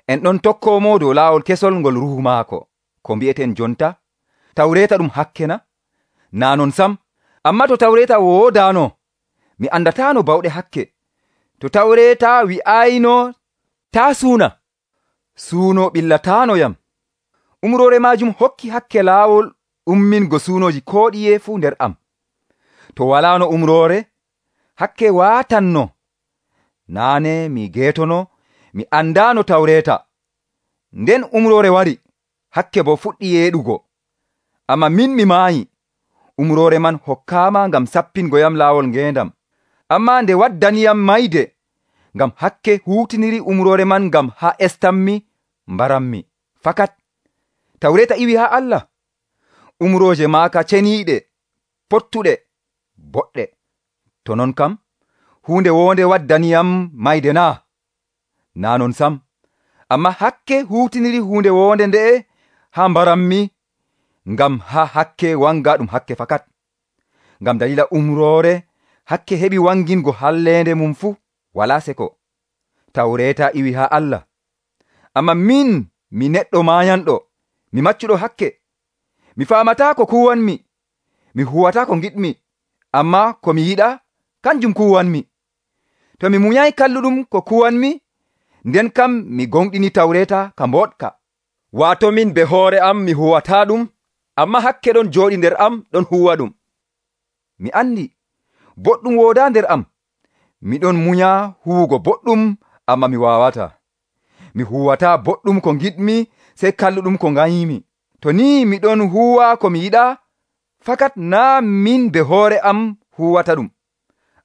Speaker 1: En ɗon tokkoomo dow laawol kesol ngol ruhu maako. Ko mbi'eten jonta? Tawreeta ɗum hakke na? Naa non sam. Amma to Tawreeta woodaano, mi andataano bawɗe hakke. To Tawreeta wi'ayno taa suuna, suuno ɓillataano yam. Umroore maajum hokki hakke laawol ummingo suunooji koo ɗiye fuu nder am. To walaano umroore, hakke waatanno. Naane mi geetono, mi andaano Tawreeta. Nden umroore wari, hakke bo fuɗɗi yeeɗugo. Amma min mi maayi. Umroore man hokkaama ngam sappingoyam laawol ngeendam. Amma nde waddaniyam mayde, ngam hakke huutiniri umroore man ngam haa estammi mbarammi. Fakat Tawreeta iwi haa Allah. Umrooje maaka ceniiɗe, pottuɗe, boɗɗe. To non kam, huunde wonde waddaniyam mayde naa? Naa non sam. Amma hakke huutiniri huunde wonde nde'e haa mbarammi, ngam haa hakke wanga ɗum hakke fakat. Ngam dalila umroore, hakke heɓi wangingo halleende mum fuu, walaa seko. Tawreeta iwi haa Allah. Amma min, mi neɗɗo maayanɗo, mi maccuɗo hakke. Mi faamataa ko kuwanmi, mi huwataa ko ngiɗmi, amma ko mi yiɗaa, kanjum kuwanmi. To mi munyay kalluɗum ko kuwanmi, nden kam mi gonɗini Tawreeta ka mboɗka. Waato min be hoore am mi huwataa ɗum, amma hakke ɗon jooɗi nder am ɗon huwa ɗum. Mi andi, boɗɗum woodaa nder am. Miɗon munya huwugo boɗɗum, amma mi waawataa. Mi huwataa boɗɗum ko ngiɗmi, sey kalluɗum ko nganyimi. To ni miɗon huwa ko mi yiɗaa, fakat naa min be hoore am huwata ɗum,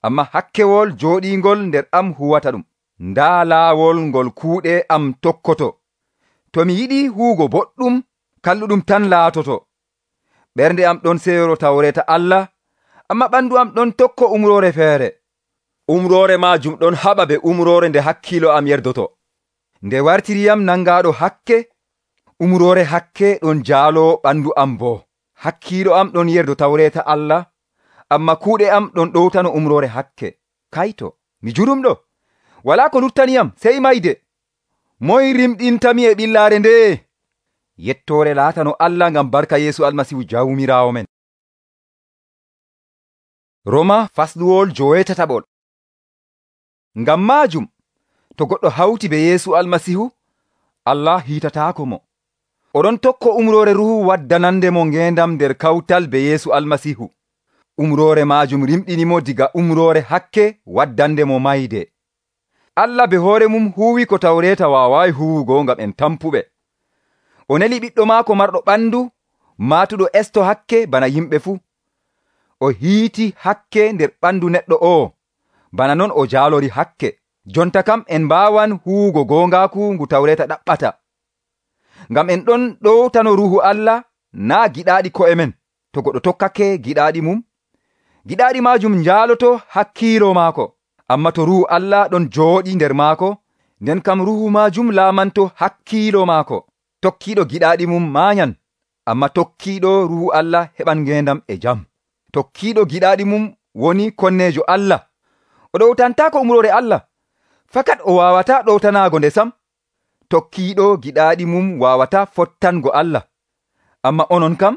Speaker 1: amma hakkewol jooɗiingol nder am huwata ɗum. Ndaa laawol ngol kuuɗe am tokkoto. To mi yiɗi huugo boɗɗum, kalluɗum tan laatoto. ɓernde am ɗon seyoro tawreta Allah, amma ɓandu am ɗon tokko umrore feere. Umrore majum ɗon haɓa be umrore nde hakkilo am yerdoto. Nde wartiriyam nangaɗo hakke, umrore hakke ɗon jaalo ɓandu am bo. Hakkilo am ɗon yerdo tawreta Allah, amma kuuɗe am ɗon ɗowtano umrore hakke. Kayto, mi jurumɗo, wala ko luttaniyam sey mayde. Moy rimɗintami e ɓillare nde? Yettore laatano Allah ngam barka Yeesu Almasihu jawmirawo men. Roma fasluwol 17. Ngam majum, to goɗɗo hawti be Yeesu Almasihu, Allah hiitatako mo. Oɗon tokko umrore ruhu waddanande mo ngendam nder kawtal be Yeesu Almasihu. Umrore majum rimɗinimo diga umrore hakke waddande mo mayde. Allah be hoore mum huwi ko tawreta waawai huwugo ngam en tampuɓe. O neli ɓiɗɗo maako marɗo ɓandu, maatuɗo esto hakke bana yimɓe fuu. O hiiti hakke nder ɓandu neɗɗo o, bana non o jaalori hakke. Jonta kam en mbaawan huwugo gongaku ngu tawreta ɗaɓɓata. Ngam en ɗon ɗowtano ruhu Allah, naa giɗaaɗi ko'e men. To goɗɗo tokkake giɗaaɗi mum, giɗaaɗi majum njaaloto hakkiilo maako. Amma to ruhu Allah ɗon jooɗi nder maako, nden kam ruhu majum laamanto hakkiilo maako. Tokkiiɗo giɗaaɗi mum maanyan, amma tokkiiɗo ruhu Allah heɓan ngendam e jam. Tokkiiɗo giɗaaɗi mum woni konnejo Allah. O ɗowtantaako umrore Allah, fakat o waawata ɗowtanaago nde sam. Tokkiiɗo giɗaaɗi mum waawata fottango Allah. Amma onon kam,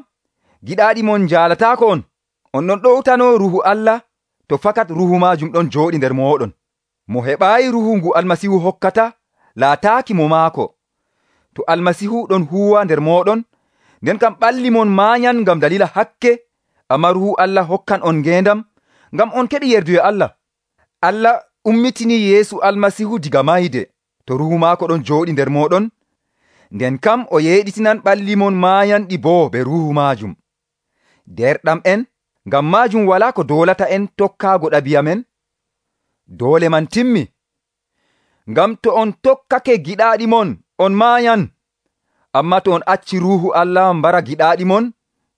Speaker 1: giɗaaɗi mon njaalataako on. On ɗon ɗowtano ruhu Allah, to fakat ruhu majum ɗon jooɗi nder mooɗon. Mo heɓaayi ruhu ngu Almasihu hokkata, laataaki mo maako. To Almasihu ɗon huwa nder mooɗon, nden kam ɓalli mon maanyan ngam dalila hakke, amma ruhu Allah hokkan on ngendam, ngam on keɓi yerdu e Allah. Allah ummitini Yeesu Almasihu diga mayde. To ruhu maako ɗon jooɗi nder mooɗon, nden kam o yeeɗitinan ɓalli mon maayanɗi boo be ruhu majum. Derɗam en, ngam majum wala ko doolata en tokkaago ɗabi'a men. Doole man timmi. Ngam to on tokkake giɗaaɗi mon, on maayan. Amma to on acci ruhu Allah mbara giɗaaɗi mon,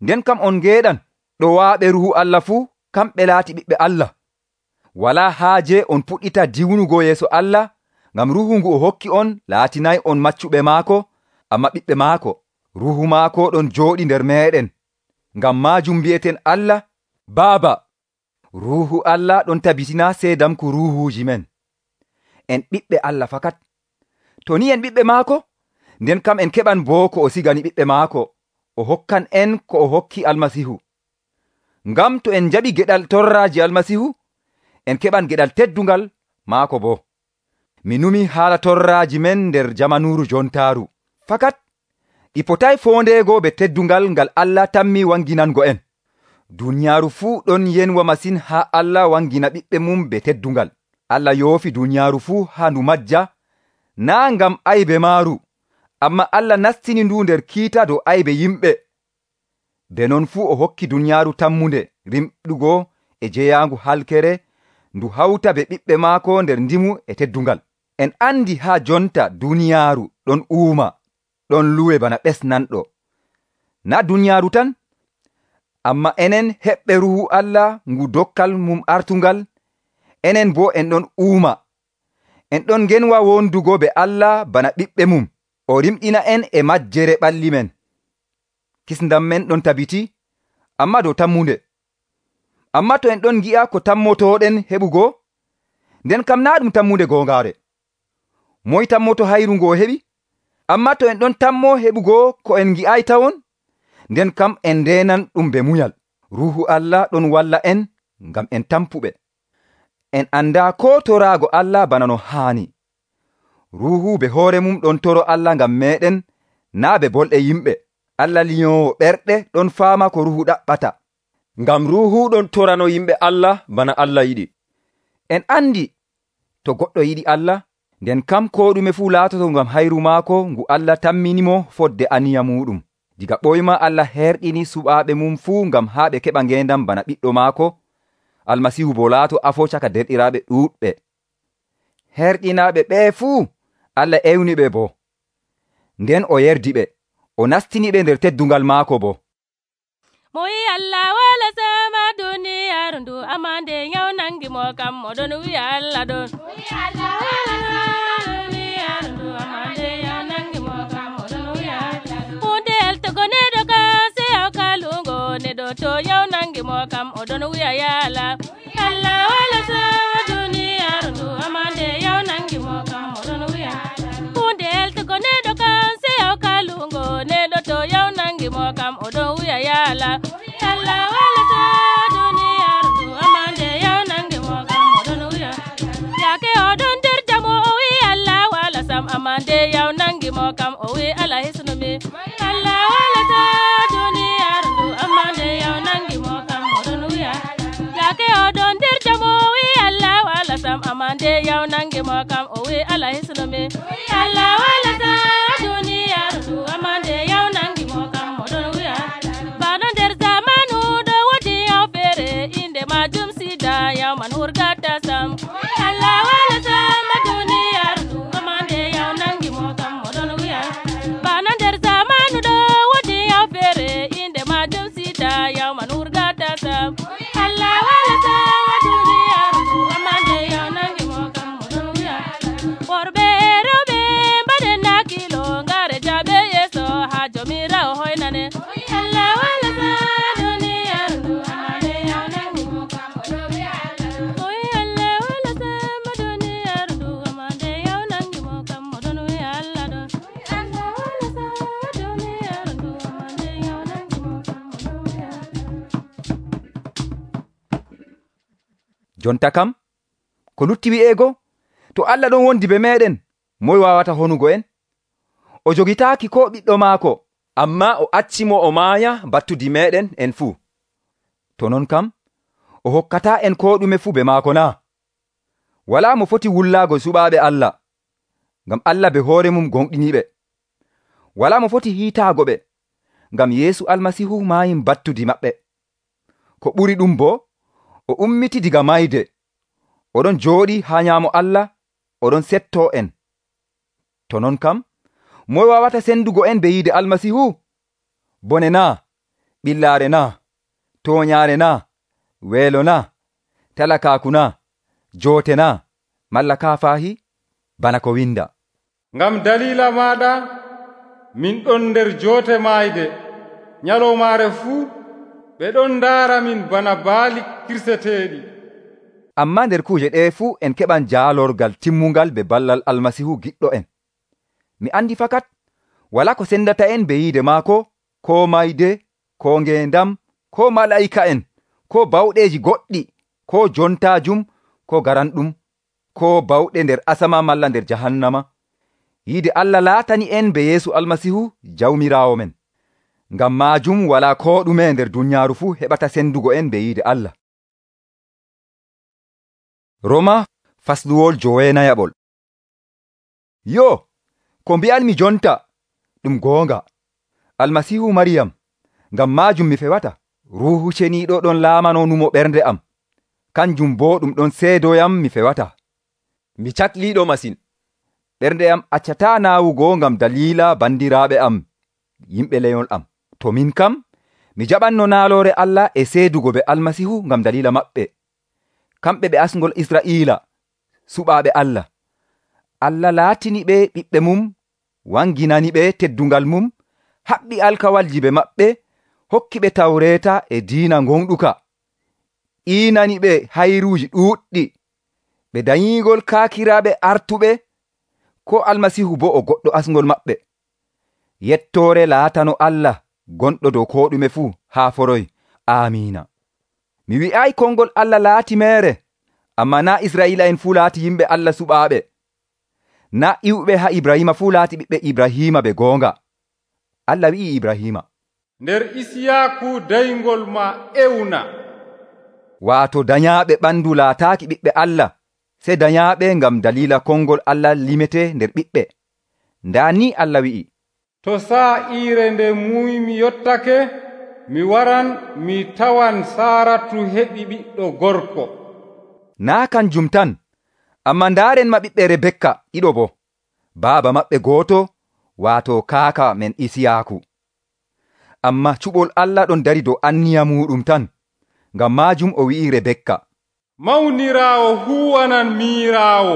Speaker 1: nden kam on ngeeɗan. Ɗo waaɓe ruhu Allah fuu, kamɓe laati ɓiɓɓe Allah. Wala haaje on puɗɗita diwnugo yeeso Allah, ngam ruhu ngu o hokki on laatinay on maccuɓe maako, amma ɓiɓɓe maako. Ruhu maako ɗon jooɗi nder meeɗen. Ngam majum mbi'eten Allah, Baaba. Ruhu Allah ɗon tabitina seedamku ruhuuji men. En ɓiɓɓe Allah fakat. To ni en ɓiɓɓe maako, nden kam en keɓan boo ko o sigani ɓiɓɓe maako. O hokkan en ko o hokki Almasihu. Ngam to en jaɓi geɗal torraaji Almasihu, en keɓan geɗal teddungal maako bo. Mi numi haala torraaji men nder jamanuuru jontaaru. Fakat ɗi potay fondeego be teddungal ngal Allah tammi wanginango en. Duniyaaru fuu ɗon yenwa masin haa Allah wangina ɓiɓɓe mum be teddungal. Allah yoofi duniyaaru fuu haa ndu majja, naa ngam aybe maaru, amma Allah nastini ndu nder kiita dow aybe yimɓe. Be non fuu o hokki duniyaaru tammunde rimɗugo e jeyaangu halkere, ndu hawta be ɓiɓɓe maako nder ndimu e teddungal. En andi haa jonta duniyaaru ɗon uuma, ɗon luwe bana ɓesnanɗo. Na duniyaaru tan, amma enen heɓɓe ruhu Allah ngu dokkal mum artungal, enen bo en ɗon uuma. En ɗon ngenwa wondugo be Allah bana ɓiɓɓe mum. O rimɗina en e majjere ɓalli men. Kisndam men ɗon tabiti, amma dow tammunde. Amma to en ɗon gi'a ko tammotoɗen heɓugo, nden kam naa ɗum tammunde gongaare. Moy tammoto hayru ngo heɓi? Amma to en ɗon tammo heɓugo ko en gi'ay tawon, nden kam en ndenan ɗum be munyal. Ruhu Allah ɗon walla en ngam en tampuɓe. En anda ko toraago Allah bana no haani. Ruhu be hoore mum ɗon toro Allah ngam meɗen, naa be bolɗe yimɓe. Allah liyowo ɓerɗe ɗon faama ko ruhu ɗaɓɓata.
Speaker 4: Ngam ruhu ɗon torano yimɓe Allah bana Allah yiɗi.
Speaker 1: En andi to goɗɗo yiɗi Allah, nden kam ko ɗume fuu laatoto ngam hayru maako ngu Allah tamminimo fodde aniya muɗum. Diga ɓoyma Allah herɗini suɓaaɓe mum fuu ngam haa ɓe keɓa ngendam bana ɓiɗɗo maako. Almasihu bo laato afo caka derɗiraaɓe ɗuuɗɓe. Herɗinaaɓe ɓee fuu Allah ewni ɓe bo. Nden o yerdi ɓe, o nastini ɓe nder teddungal maako bo.
Speaker 3: mo wi Allah wala sama duniyaaru ndu amma nde nyaw nangi mo kam oɗon wi'a Allah ɗon. Allah wala sama duniyaaru ndu amma nde nyaw nangi mo kam oɗon wi'a Allah ɗon. Hunde eltugo neɗo kam se yaw kalungo neɗo to nyaw nangi mo kam oɗon wi'a ya Allah. Allah wala sama duniyaaru ndu amma nde nyaw nangi mo kam oɗon wi'a Allah. Hunde eltugo neɗo kam se yaw kalungo neɗo to yaw nangi mo kam oɗon wi'a ya Allah. Allah wala sama duniyaaru ndu amma nde yaw nangi mo kam oɗon wi'a yaake oɗon nder jamo o wi Allah wala sam amma nde yaw nangi mo kam o wi Allah hisnumi. Allah wala sama duniyaaru ndu amma nde yaw nangi mo kam oɗon wi'a yaake oɗon nder jamo o wi Allah wala sam amma nde yaw nangi mo kam o wi Allah hisnumi. Allah wala sama duniyaaru ndu amma nde yaw nangi mo kam oɗon wi'a bano nder zamanu ɗo wodi yaw feere inde majum sida yaw man hurgata sam. Allah wala sama duniyaaru ndu amma nde yaw nangi mo kam oɗon wi'a bano nder zamanu ɗo wodi yaw feere inde majum sida yaw man hurgata sam. Allah wala sama duniyaaru ndu amma nde yaw nangi mo kam oɗon wi'a worɓe e rewɓe mbaɗen nakkilo ngare jaɓe yeeso ha jomirawo hoynane. Allah wala sama duniyaaru ndu amma nde yaw nangi mo kam oɗon wi'a Allah. Oyi Allah wala sama duniyaaru ndu amma nde yaw nangi mo kam oɗon wi'a Allah ɗon. Allah wala sama duniyaaru ndu amma nde yaw nangi mo kam oɗon wi'a Allah.
Speaker 1: Jonta kam ko lutti wi'ego to Allah ɗon wondi be meɗen moy wawata honugo en? O jogitaaki ko ɓiɗɗo maako
Speaker 4: amma o accimo o maaya battudi meɗen en fuu.
Speaker 1: to non kam o hokkata en ko ɗume fuu be maako na? Wala mo foti wullaago suɓaaɓe Allah ngam Allah be hoore mum gonɗiniɓe. Wala mo foti hiitaago ɓe ngam Yeesu Almasihu maayi battudi maɓɓe. Ko ɓuri ɗum bo o ummiti diga mayde oɗon jooɗi ha nyaamo Allah oɗon setto en. To non kam moy wawata sendugo en be yiide Almasihu? Bone na, ɓillaare na, toñaare na, weelo na, talakaaku na, joote na, malla kaafahi bana ko winda.
Speaker 2: Ngam dalila maɗa min ɗon nder joote maayde nyalowmaare fuu ɓe ɗon ndaara min bana baali kirseteeɗi.
Speaker 1: Amma nder kuje ɗe fuu en keɓan jaalorgal timmungal be ballal Almasihu giɗɗo en. Mi andi fakat wala ko sendata en be yiide maako, ko mayde, ko ngendam, ko mala'ika en, ko bawɗeji goɗɗi, ko jontaajum, ko garanɗum, ko bawɗe nder asama malla nder jahannama. Yiide Allah laatani en be Yeesu Almasihu jawmiraawo men. Ngam maajum wala ko ɗume nder dunyaaru fuu heɓata sendugo en be yiide Allah. Roma fasluwol 9. Yo, ko mbi'anmi jonta ɗum goonga. Almasihu Mariyam, ngam maajum mi fewata. Ruuhu Ceniiɗo ɗon laamanonumo ɓernde am. Kanjum bo ɗum ɗon seedoyam mi fewata.
Speaker 4: Mi cakliiɗo masin.
Speaker 1: Ɓernde am accata naawugo ngam dalila bandiraaɓe am, yimɓe leyol am. To min kam, mi jaɓanno naaloore Allah e seedugo be Almasihu ngam dalila maɓɓe. Kamɓe ɓe asngol Isra'iila, suɓaaɓe Allah. Allah laatini ɓe ɓiɓɓe mum, wanginani ɓe teddungal mum, haɓɓi alkawalji be maɓɓe, hokki ɓe tawreeta e diina gonɗuka. Iinani ɓe hayruuji ɗuuɗɗi, ɓe danyigol kaakiraaɓe artuɓe, ko Almasihu bo o goɗɗo asngol maɓɓe. Yettoore laatano Allah gonɗo dow ko ɗume fuu haa foroy. Amiina. Mi wi'ay kongol Allah laati mere, amma na Isra'iila en fuu laati yimɓe Allah suɓaaɓe. Na iwɓe ha Ibrahima fuu laati ɓiɓɓe Ibrahima be goonga. Allah wi'i Ibrahima,
Speaker 2: nder Isiyaaku dayngol ma ewna.
Speaker 1: Waato danyaaɓe ɓandu laataaki ɓiɓɓe Allah, se danyaaɓe ngam dalila kongol Allah limete nder ɓiɓɓe. Nda ni Allah wi'i,
Speaker 2: to sa'iire nde muymi yottake, mi waran mi tawan Saaratu heɓi ɓiɗɗo gorko.
Speaker 1: Na kanjum tan, amma ndaaren ma ɓiɓɓe Rebekka ɗiɗo bo, baaba maɓɓe gooto, waato kaaka men Isiyaaku. Ammaa cuɓol Allah ɗon dari dow anniya muuɗum tan. Ngam maajum o wi'i Rebekka,
Speaker 2: mawniraawo huwanan miiraawo.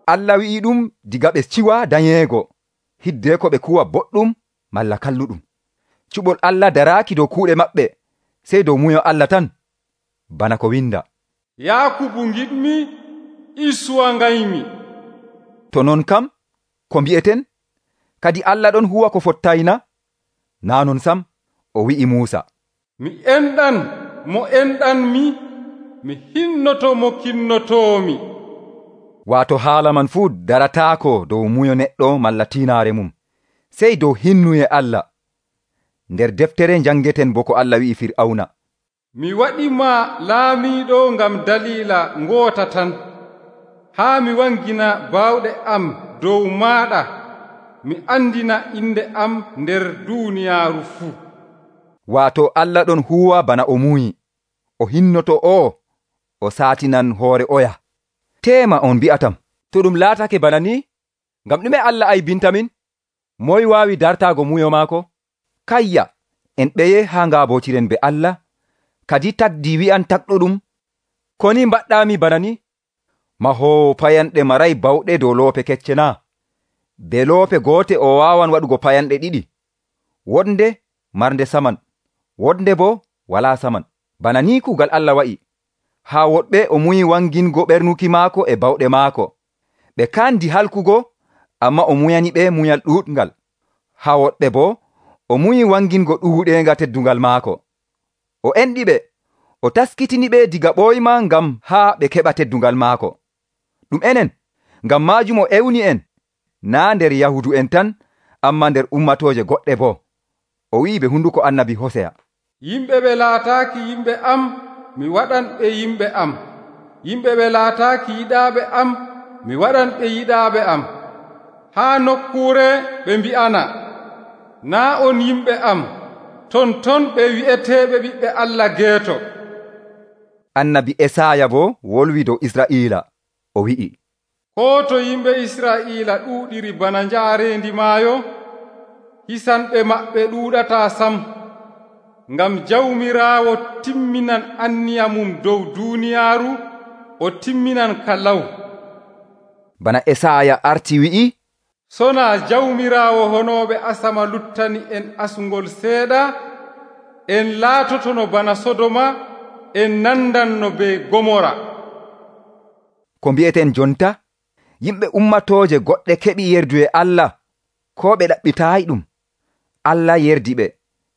Speaker 1: Allah wi'i ɗum diga ɓe ciwa danyeego, hiddeko ɓe kuwa boɗɗum malla kalluɗum. Cuɓol Allah daraaki dow kuuɗe maɓɓe, sey dow muyo Allah tan, bana ko winda.
Speaker 2: Yaakubu ngiɗmi, Isuwa ngaymi.
Speaker 1: To non kam, ko mbi'eten? Kadi Allah ɗon huwa ko fottayna? Naa non sam, o wi'i Muusa,
Speaker 2: mi enɗan mo enɗanmi, mi hinnoto mo kinnotoomi.
Speaker 1: Waato haala man fuu darataako dow muyo neɗɗo malla tiinaare mum, sey dow hinnuye Allah. Nder deftere njangeten bo ko Allah wi'i Fir'awna,
Speaker 2: mi waɗima laamiiɗo ngam daliila ngoota tan, haa mi wangina baawɗe am dow maaɗa, mi andina inde am nder duuniyaaru fuu.
Speaker 1: Waato Allah ɗon huwa bana o muyi, o hinnoto o saatinan hoore oya. Teema on bi'atam,
Speaker 4: To ɗum laatake bana ni, ngam ɗume Allah aybintamin? Moy waawi dartaago muyo maako?
Speaker 1: kayya en ɓeye haa ngaabotiren be Allah, kadi tagdi wi'an takɗuɗum,
Speaker 4: Koni mbaɗɗaami bana ni?
Speaker 1: mahoowo payanɗe maray bawɗe dow loope kecce naa? Be loope goote o waawan waɗugo payanɗe ɗiɗi, wonde marnde saman, wonde bo walaa saman. Bana ni kuugal Allah wa'i, haa woɗɓe o muyi wangingo ɓernuki maako e bawɗe maako. Ɓe kaandi halkugo, amma o muyani ɓe muyal ɗuuɗngal. Haa woɗɓe bo o muyi wangingo ɗuuɗeenga teddungal maako. O enɗi ɓe, o taskitini ɓe diga ɓoyma ngam haa ɓe keɓa teddungal maako. Ɗum enen, ngam maajum o ewni en, naa nder Yahudu en tan, amma nder ummatooje goɗɗe bo. O wi'i be hunduko annabi Hoseya,
Speaker 2: yimɓe ɓe laataaki yimɓe am, mi waɗan ɓe yimɓe am. Yimɓe ɓe laataaki yiɗaaɓe am, mi waɗan ɓe yiɗaaɓe am. Haa nokkuure ɓe mbi'ana, naa on yimɓe am, ton ɓe wi'eteeɓe ɓiɓɓe Allah geeto.
Speaker 1: Annabi Esaya bo wolwi dow Isra'iila, o wi'i,
Speaker 2: Koo to yimɓe Israa'iila ɗuuɗiri bana njaarendi maayo, hisanɓe maɓɓe ɗuuɗataa sam. Ngam Jawmiraawo timminan anniya mum dow duuniyaaru, o timminan ka law.
Speaker 1: Bana Esaya arti wi'i,
Speaker 2: Sonaa Jawmiraawo honooɓe asama luttani en asugol seeɗa, en laatotono bana Sodoma, en nandanno be Gomora.
Speaker 1: ko mbi'eten jonta, yimɓe ummatooje goɗɗe keɓi yerdu e Allah, ko ɓe ɗaɓɓitaayi ɗum. Allah yerdi ɓe,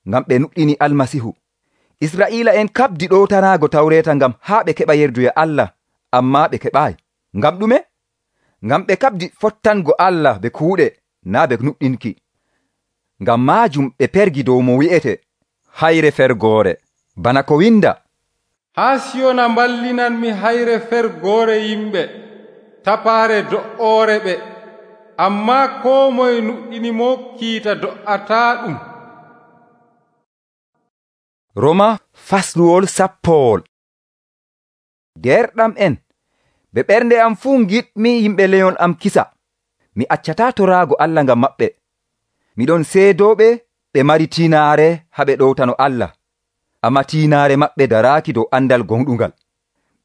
Speaker 1: ngam ɓe nuɗɗini Almasihu. Isra'iila en kabdi ɗowtanaago tawreeta ngam haa ɓe keɓa yerdu e Allah, ammaa ɓe keɓaayi. Ngam ɗume? Ngam ɓe kabdi fottango Allah be kuuɗe, naa be nuɗɗinki. Ngam maajum ɓe pergi dow mo wi'ete hayre fergoore, bana ko winda,
Speaker 2: Haa Siyona mballinanmi hayre fergoore yimɓe, tapaare do'oore ɓe, ammaa koo moye nuɗɗini mo kiita do'ataa ɗum.
Speaker 1: Roma fasluwol sappowol. Derɗam en, be ɓernde am fuu giɗmi yimɓe leyon am kisa. Mi accataa toraago Allah ngam maɓɓe. Miɗon seedooɓe ɓe mari tiinaare haa ɓe ɗowtano Allah, amma tiinaare maɓɓe daraaki dow andal gonɗungal.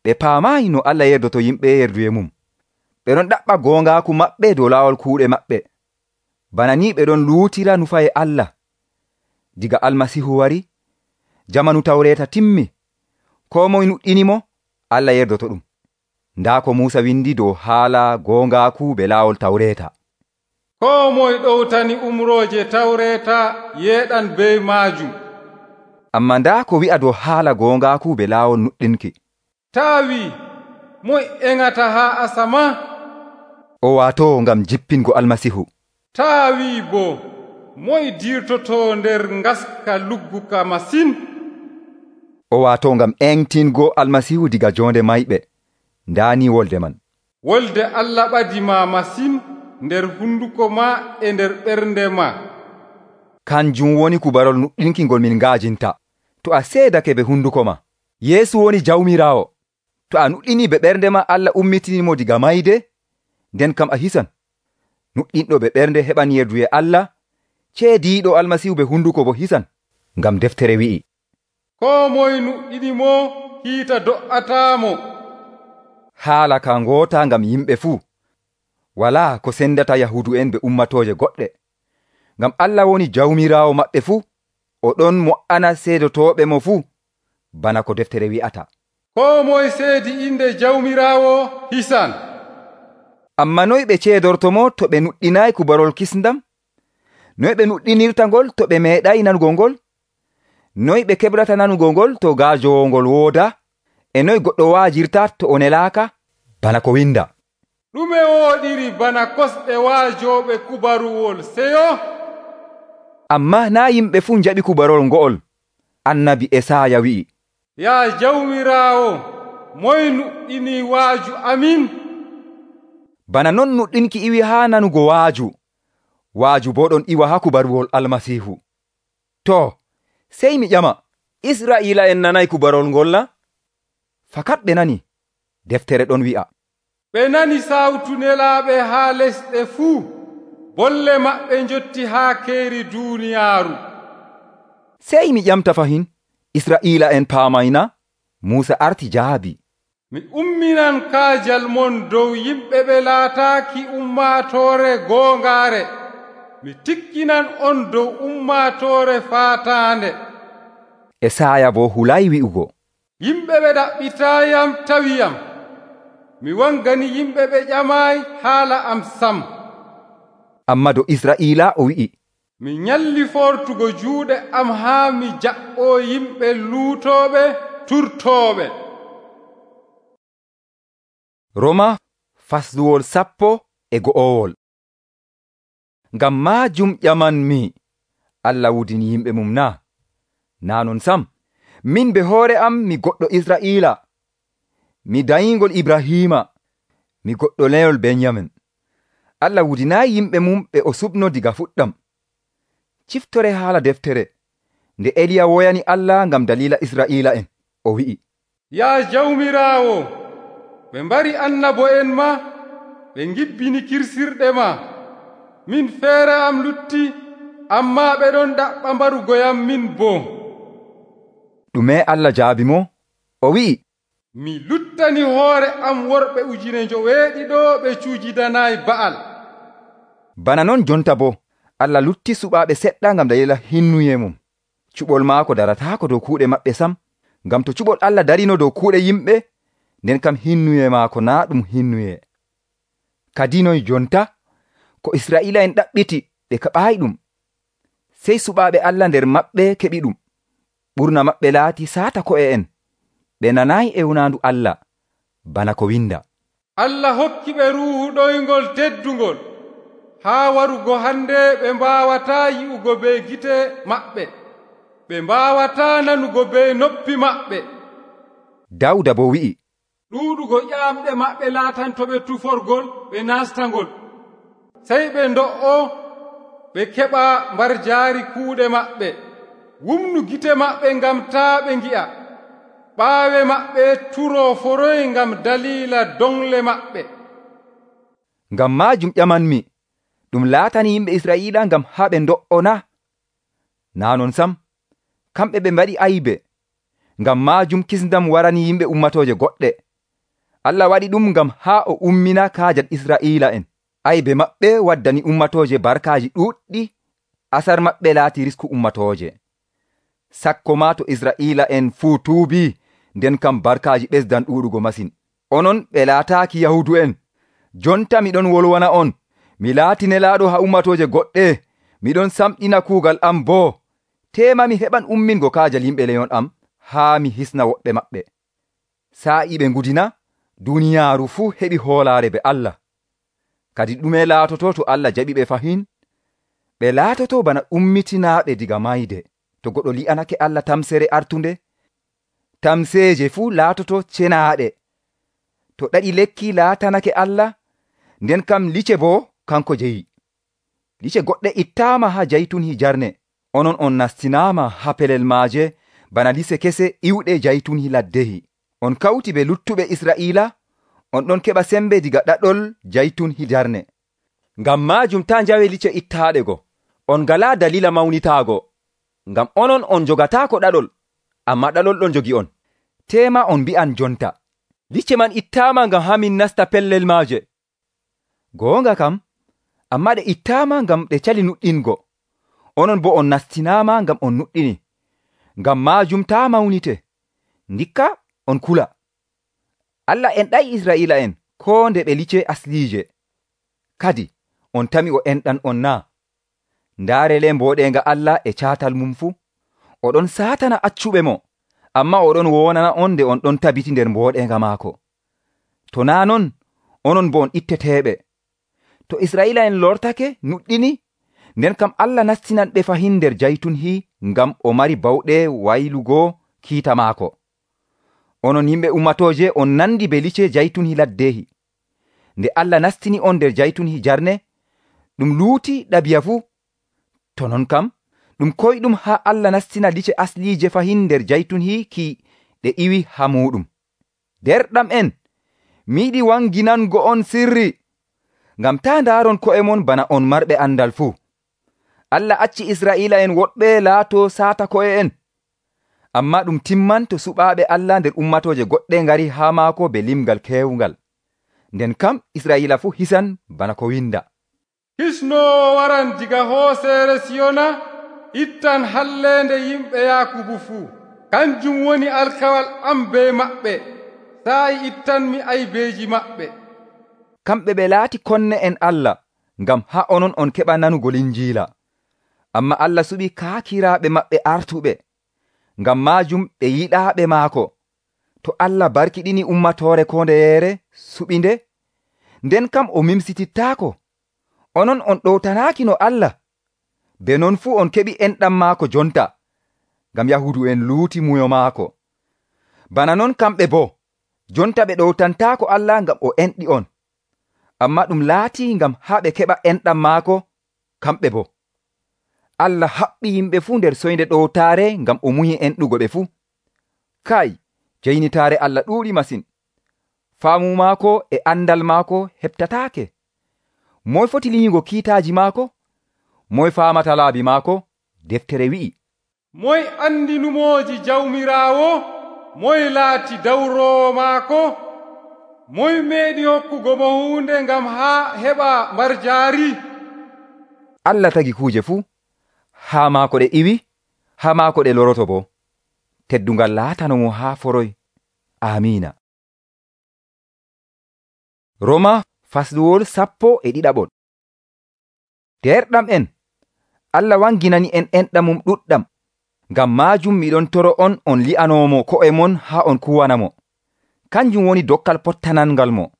Speaker 1: Ɓe paamaayi no Allah yerdoto yimɓe yerduye mum. Ɓe ɗon ɗaɓɓa goongaaku maɓɓe dow laawol kuuɗe maɓɓe. Bana ni ɓe ɗon luutira nufaye Allah. Diga Almasihu wari, jamanu tawreeta timmi, koo moye nuɗɗinimo, Allah yerdoto ɗum. Ndaa ko Muusa windi dow haala goongaaku be laawol tawreeta.
Speaker 2: Koo moye ɗowtani umrooje tawreeta yeeɗan be maajum.
Speaker 1: Amma ndaa ko wi'a dow haala goongaaku be laawol nuɗɗinki.
Speaker 2: Taawi, moye eŋata haa asama?
Speaker 1: O waatoo ngam jippingo Almasihu.
Speaker 2: Taawi bo, moye dirtotoo nder ngaska lugguka masin?
Speaker 1: O waatoo ngam eŋtingo Almasihu diga joonde mayɓe. Ndaani wolde man.
Speaker 2: Wolde Allah ɓadima masin nder hunduko ma e nder ɓernde ma.
Speaker 1: Kanjum woni kubarol nuɗɗinki ngol min ngaajinta. To a seedake be hunduko ma, Yeesu woni Jawmiraawo. To a nuɗɗini be ɓernde ma Allah ummitinimo diga mayde, nden kam a hisan. Nuɗɗinɗo be ɓernde heɓan yerduye Allah, ceediiɗo almasihu be hunduko bo hisan. Ngam deftere wi'i,
Speaker 2: koo moye nuɗɗinimo kiita do'ataamo.
Speaker 1: haala ka ngoota ngam yimɓe fuu, walaa ko sendata Yahuudu'en be ummatooje goɗɗe. Ngam Allah woni jawmiraawo maɓɓe fuu, o ɗon mo''ana seedotooɓe mo fuu, bana ko deftere wi'ata.
Speaker 2: Koo moye seedi inde jawmiraawo hisan.
Speaker 1: Ammaa noy ɓe ceedortomo to ɓe nuɗɗinaay kubarol kisndam? Noy ɓe nuɗɗinirta ngol to ɓe meeɗay nanugo ngol? Noy ɓe keɓrata nanugo ngol to gaajowongol wooda? E noy goɗɗo waajirta to o nelaaka? Bana ko winda,
Speaker 2: ɗume wooɗiri bana kosɗe waajooɓe kubaruwol seyo?
Speaker 1: ammaa naa yimɓe fuu njaɓi kubarol ngo'ol. Annabi Esaaya wi'i,
Speaker 2: yaa jawmiraawo, moye nuɗɗini waaju amin?
Speaker 1: bana non nuɗɗinki iwi haa nanugo waaju, waaju boo ɗon iwa haa kubaruwol almasiihu. Too, sey mi ƴama, Israa'iila'en nanay kubarol ngol na? Fakat ɓe nani. Deftere ɗon wi'a,
Speaker 2: ɓe nani sawtu nelaaɓe haa lesɗe fuu, bolle maɓɓe njotti haa keeri duuniyaaru.
Speaker 1: sey mi ƴamta fahin, Israa'iila'en paamayna? Muusa arti jaabi,
Speaker 2: Mi umminan kaajal mon dow yimɓe ɓe laataaki ummaatoore goongaare. Mi tikkinan on dow ummaatoore faataande.
Speaker 1: Esaaya boo hulay wi'ugo,
Speaker 2: Yimɓe ɓe ɗaɓɓitaayam tawiyam. Mi wangani yimɓe ɓe ƴamaayi haala am sam.
Speaker 1: ammaa do Israa'iila o wi'i,
Speaker 2: Mi nyalli fortugo juuɗe am haa mi jaɓɓoo yimɓe luutooɓe turtooɓe.
Speaker 1: Roma fasluwol 11. Ngam maajum ƴamanmi, Allah wudini yimɓe mum naa? Naa non sam, min be hoore am mi goɗɗo Israa'iila, mi dayingol Ibrahiima, mi goɗɗo leyol Benyamin. Allah wudinaayi yimɓe mum ɓe o suɓno diga fuɗɗam. Ciftore haala deftere nde Eliya woyani Allah ngam dalila Israa'iila'en, o wi'i,
Speaker 2: Yaa jawmiraawo, ɓe mbari annabo'en ma, ɓe ngibbini kirsirɗe ma. Min feere am lutti, ammaa ɓe ɗon ɗaɓɓa mbarugoyam min boo.
Speaker 1: ɗume Allah jaabi mo? O wi'i,
Speaker 2: Mi luttani hoore am worɓe 900 ɓe cuujidanaayi Ba'al.
Speaker 1: bana non jonta bo, Allah lutti suɓaaɓe seɗɗa ngam dalila hinnuye mum. Cuɓol maako darataako dow kuuɗe maɓɓe sam, ngam to cuɓol Allah darino dow kuuɗe yimɓe, nden kam hinnuye maako naa ɗum hinnuye. Kadi noy jonta, ko Israa'iila'en ɗaɓɓiti ɓe keɓaayi ɗum, sey suɓaaɓe Allah nder maɓɓe keɓi ɗum. Ɓurna maɓɓe laati saata ko'e'en, ɓe nanaayi ewnaandu Allah, bana ko winda,
Speaker 2: Allah hokki ɓe ruuhu ɗoyngol teddungol, haa warugo hande ɓe mbaawataa yi'ugo be gite maɓɓe, ɓe mbaawataa nanugo be noppi maɓɓe.
Speaker 1: Dawda bo wi'i,
Speaker 2: ɗuuɗugo ƴaamɗe maɓɓe laatantoɓe tuforgol ɓe naastangol, sey ɓe ndo'o ɓe keɓa mbarjaari kuuɗe maɓɓe. Wumnu gite maɓɓe ngam taa ɓe ngi'a, ɓaawe maɓɓe turoo foroy ngam daliila dongle maɓɓe.
Speaker 1: ngam maajum ƴamanmi, ɗum laatani yimɓe Israa'iila ngam haa ɓe ndo'o na? Naa non sam, kamɓe ɓe mbaɗi aybe, ngam maajum kisndam warani yimɓe ummatooje goɗɗe. Allah waɗi ɗum ngam haa o ummina kaajal Israa'iila'en. Aybe maɓɓe waddani ummatooje barkaaji ɗuuɗɗi, asar maɓɓe laati risku ummatooje. Sakko maa to Israa'iila'en fuu tuubii, nden kam barkaaji ɓesdan ɗuuɗugo masin. Onon ɓe laataaki Yahuudu'en, jonta miɗon wolwana on, mi laati nelaaɗo haa ummatooje goɗɗe, miɗon samɗina kuugal am boo. Teema mi heɓan ummingo kaajal yimɓe leyon am, haa mi hisna woɓɓe maɓɓe. Saa'i ɓe ngudina, duuniyaaru fuu heɓi hoolaare be Allah. Kadi ɗume laatoto to Allah jaɓi ɓe fahin? Ɓe laatoto bana ummitinaaɓe diga mayde, to goɗɗo li'anake Allah tamsere artunde. Tamseeje fuu laatoto cenaaɗe. To ɗaɗi lekki laatanake Allah, nden kam lice boo kanko jeyi. Lice goɗɗe ittaama haa jaytun hijarne, onon on nastinaama haa pelel maaje bana lise kese iwɗe jaytun hi laddehi. On kawti be luttuɓe Israa'iila, on ɗon keɓa sembe diga ɗaɗol jaytun hijarne. Ngam maajum taa njawe lice ittaaɗe go,
Speaker 4: On ngalaa dalila mawnitaago, ngam onon on jogataako ɗaɗol, ammaa ɗaɗol ɗon jogi on.
Speaker 1: Teema on mbi'an jonta,
Speaker 4: licce man ittaama ngam haa min nasta pellel maaje.
Speaker 1: goonga kam, ammaa ɗe ittaama ngam ɗe cali nuɗɗingo. Onon bo on nastinaama ngam on nuɗɗini. Ngam maajum taa mawnite, ndikka on kula. Allah enɗay Israa'iila'en koo nde ɓe licce asliije. Kadi on tami o enɗan on naa? Ndaarele mbooɗeenga Allah e caatal mum fuu, oɗon saatana accuɓe mo, ammaa oɗon wonana on nde on ɗon tabiti nder mbooɗeenga maako. To naa non, onon bo on itteteeɓe. To Israa'iila'en lortake nuɗɗini, nden kam Allah nastinan ɓe fahin nder jaytun ngam o mari bawɗe waylugo kiita maako. Onon yimɓe ummatooje on nandi be licce jaytun laddeehi. Nde Allah nastini on nder jaytun jarne, ɗum luuti ɗabiya fuu. To non kam, ɗum koyɗum haa Allah nastina licce asliije fahin nder jaytun ki ɗe iwi haa muɗum. Derɗam en, mi yiɗi wanginango on sirri, ngam taa ndaaron ko'e mon bana on marɓe andal fuu. Allah acci Israa'iila'en woɗɓe laato saata ko'e en. Ammaa ɗum timman to suɓaaɓe Allah nder ummatooje goɗɗe ngari haa maako be limgal keewungal. Nden kam Israa'iila fuu hisan bana ko winda.
Speaker 2: Hisnoowo waran diga hooseere Siyona, ittan halleende yimɓe Yaakubu fuu. Kanjum woni alkawal am be maɓɓe, saa'i ittanmi aybeeji maɓɓe.
Speaker 1: Kamɓe ɓe laati konne en Allah, ngam haa onon on keɓa nanugo Linjiila. Amma Allah suɓi kaakiraaɓe maɓɓe artuɓe, ngam maajum ɓe yiɗaaɓe maako. To Allah barkiɗini ummatoore kondeyeere suɓinde, nden kam o mimsitittaako. Onon on ɗowtanaaki no Allah. Be non fuu on keɓi enɗam maako jonta, ngam Yahuudu en luuti muyo maako. Bana non kamɓe boo, jonta ɓe ɗowtantaako Allah ngam o enɗi on. Amma ɗum laati ngam haa ɓe keɓa enɗam maako kamɓe boo. Allah haɓɓi yimɓe fuu nder soynde ɗowtaare ngam o muyi enɗugo ɓe fuu. Kai, jeynitaare Allah ɗuuɗi masin. Faamu maako e andal maako heɓtataake. Moy foti linyugo kiitaaji maako? Moy faamata laabi maako? Deftere wi'i.
Speaker 2: Moy andi numooji jawmiraawo? Moy laati dawroowo maako? Moy meeɗi hokkugo mo huunde ngam haa heɓa marjaari?
Speaker 1: Allah tagi kuuje fuu. Haa maako ɗe iwi, haa maako ɗe loroto bo. Teddungal laatano mo haa foroy. Amiina. Roma fasluwol 11. Derɗam en, Allah wanginani en enɗam mum ɗuɗɗam. Ngam maajum miɗon toro on li'anomo ko'e mon haa on kuwanamo. Kanjum woni dokkal pottanangal mo.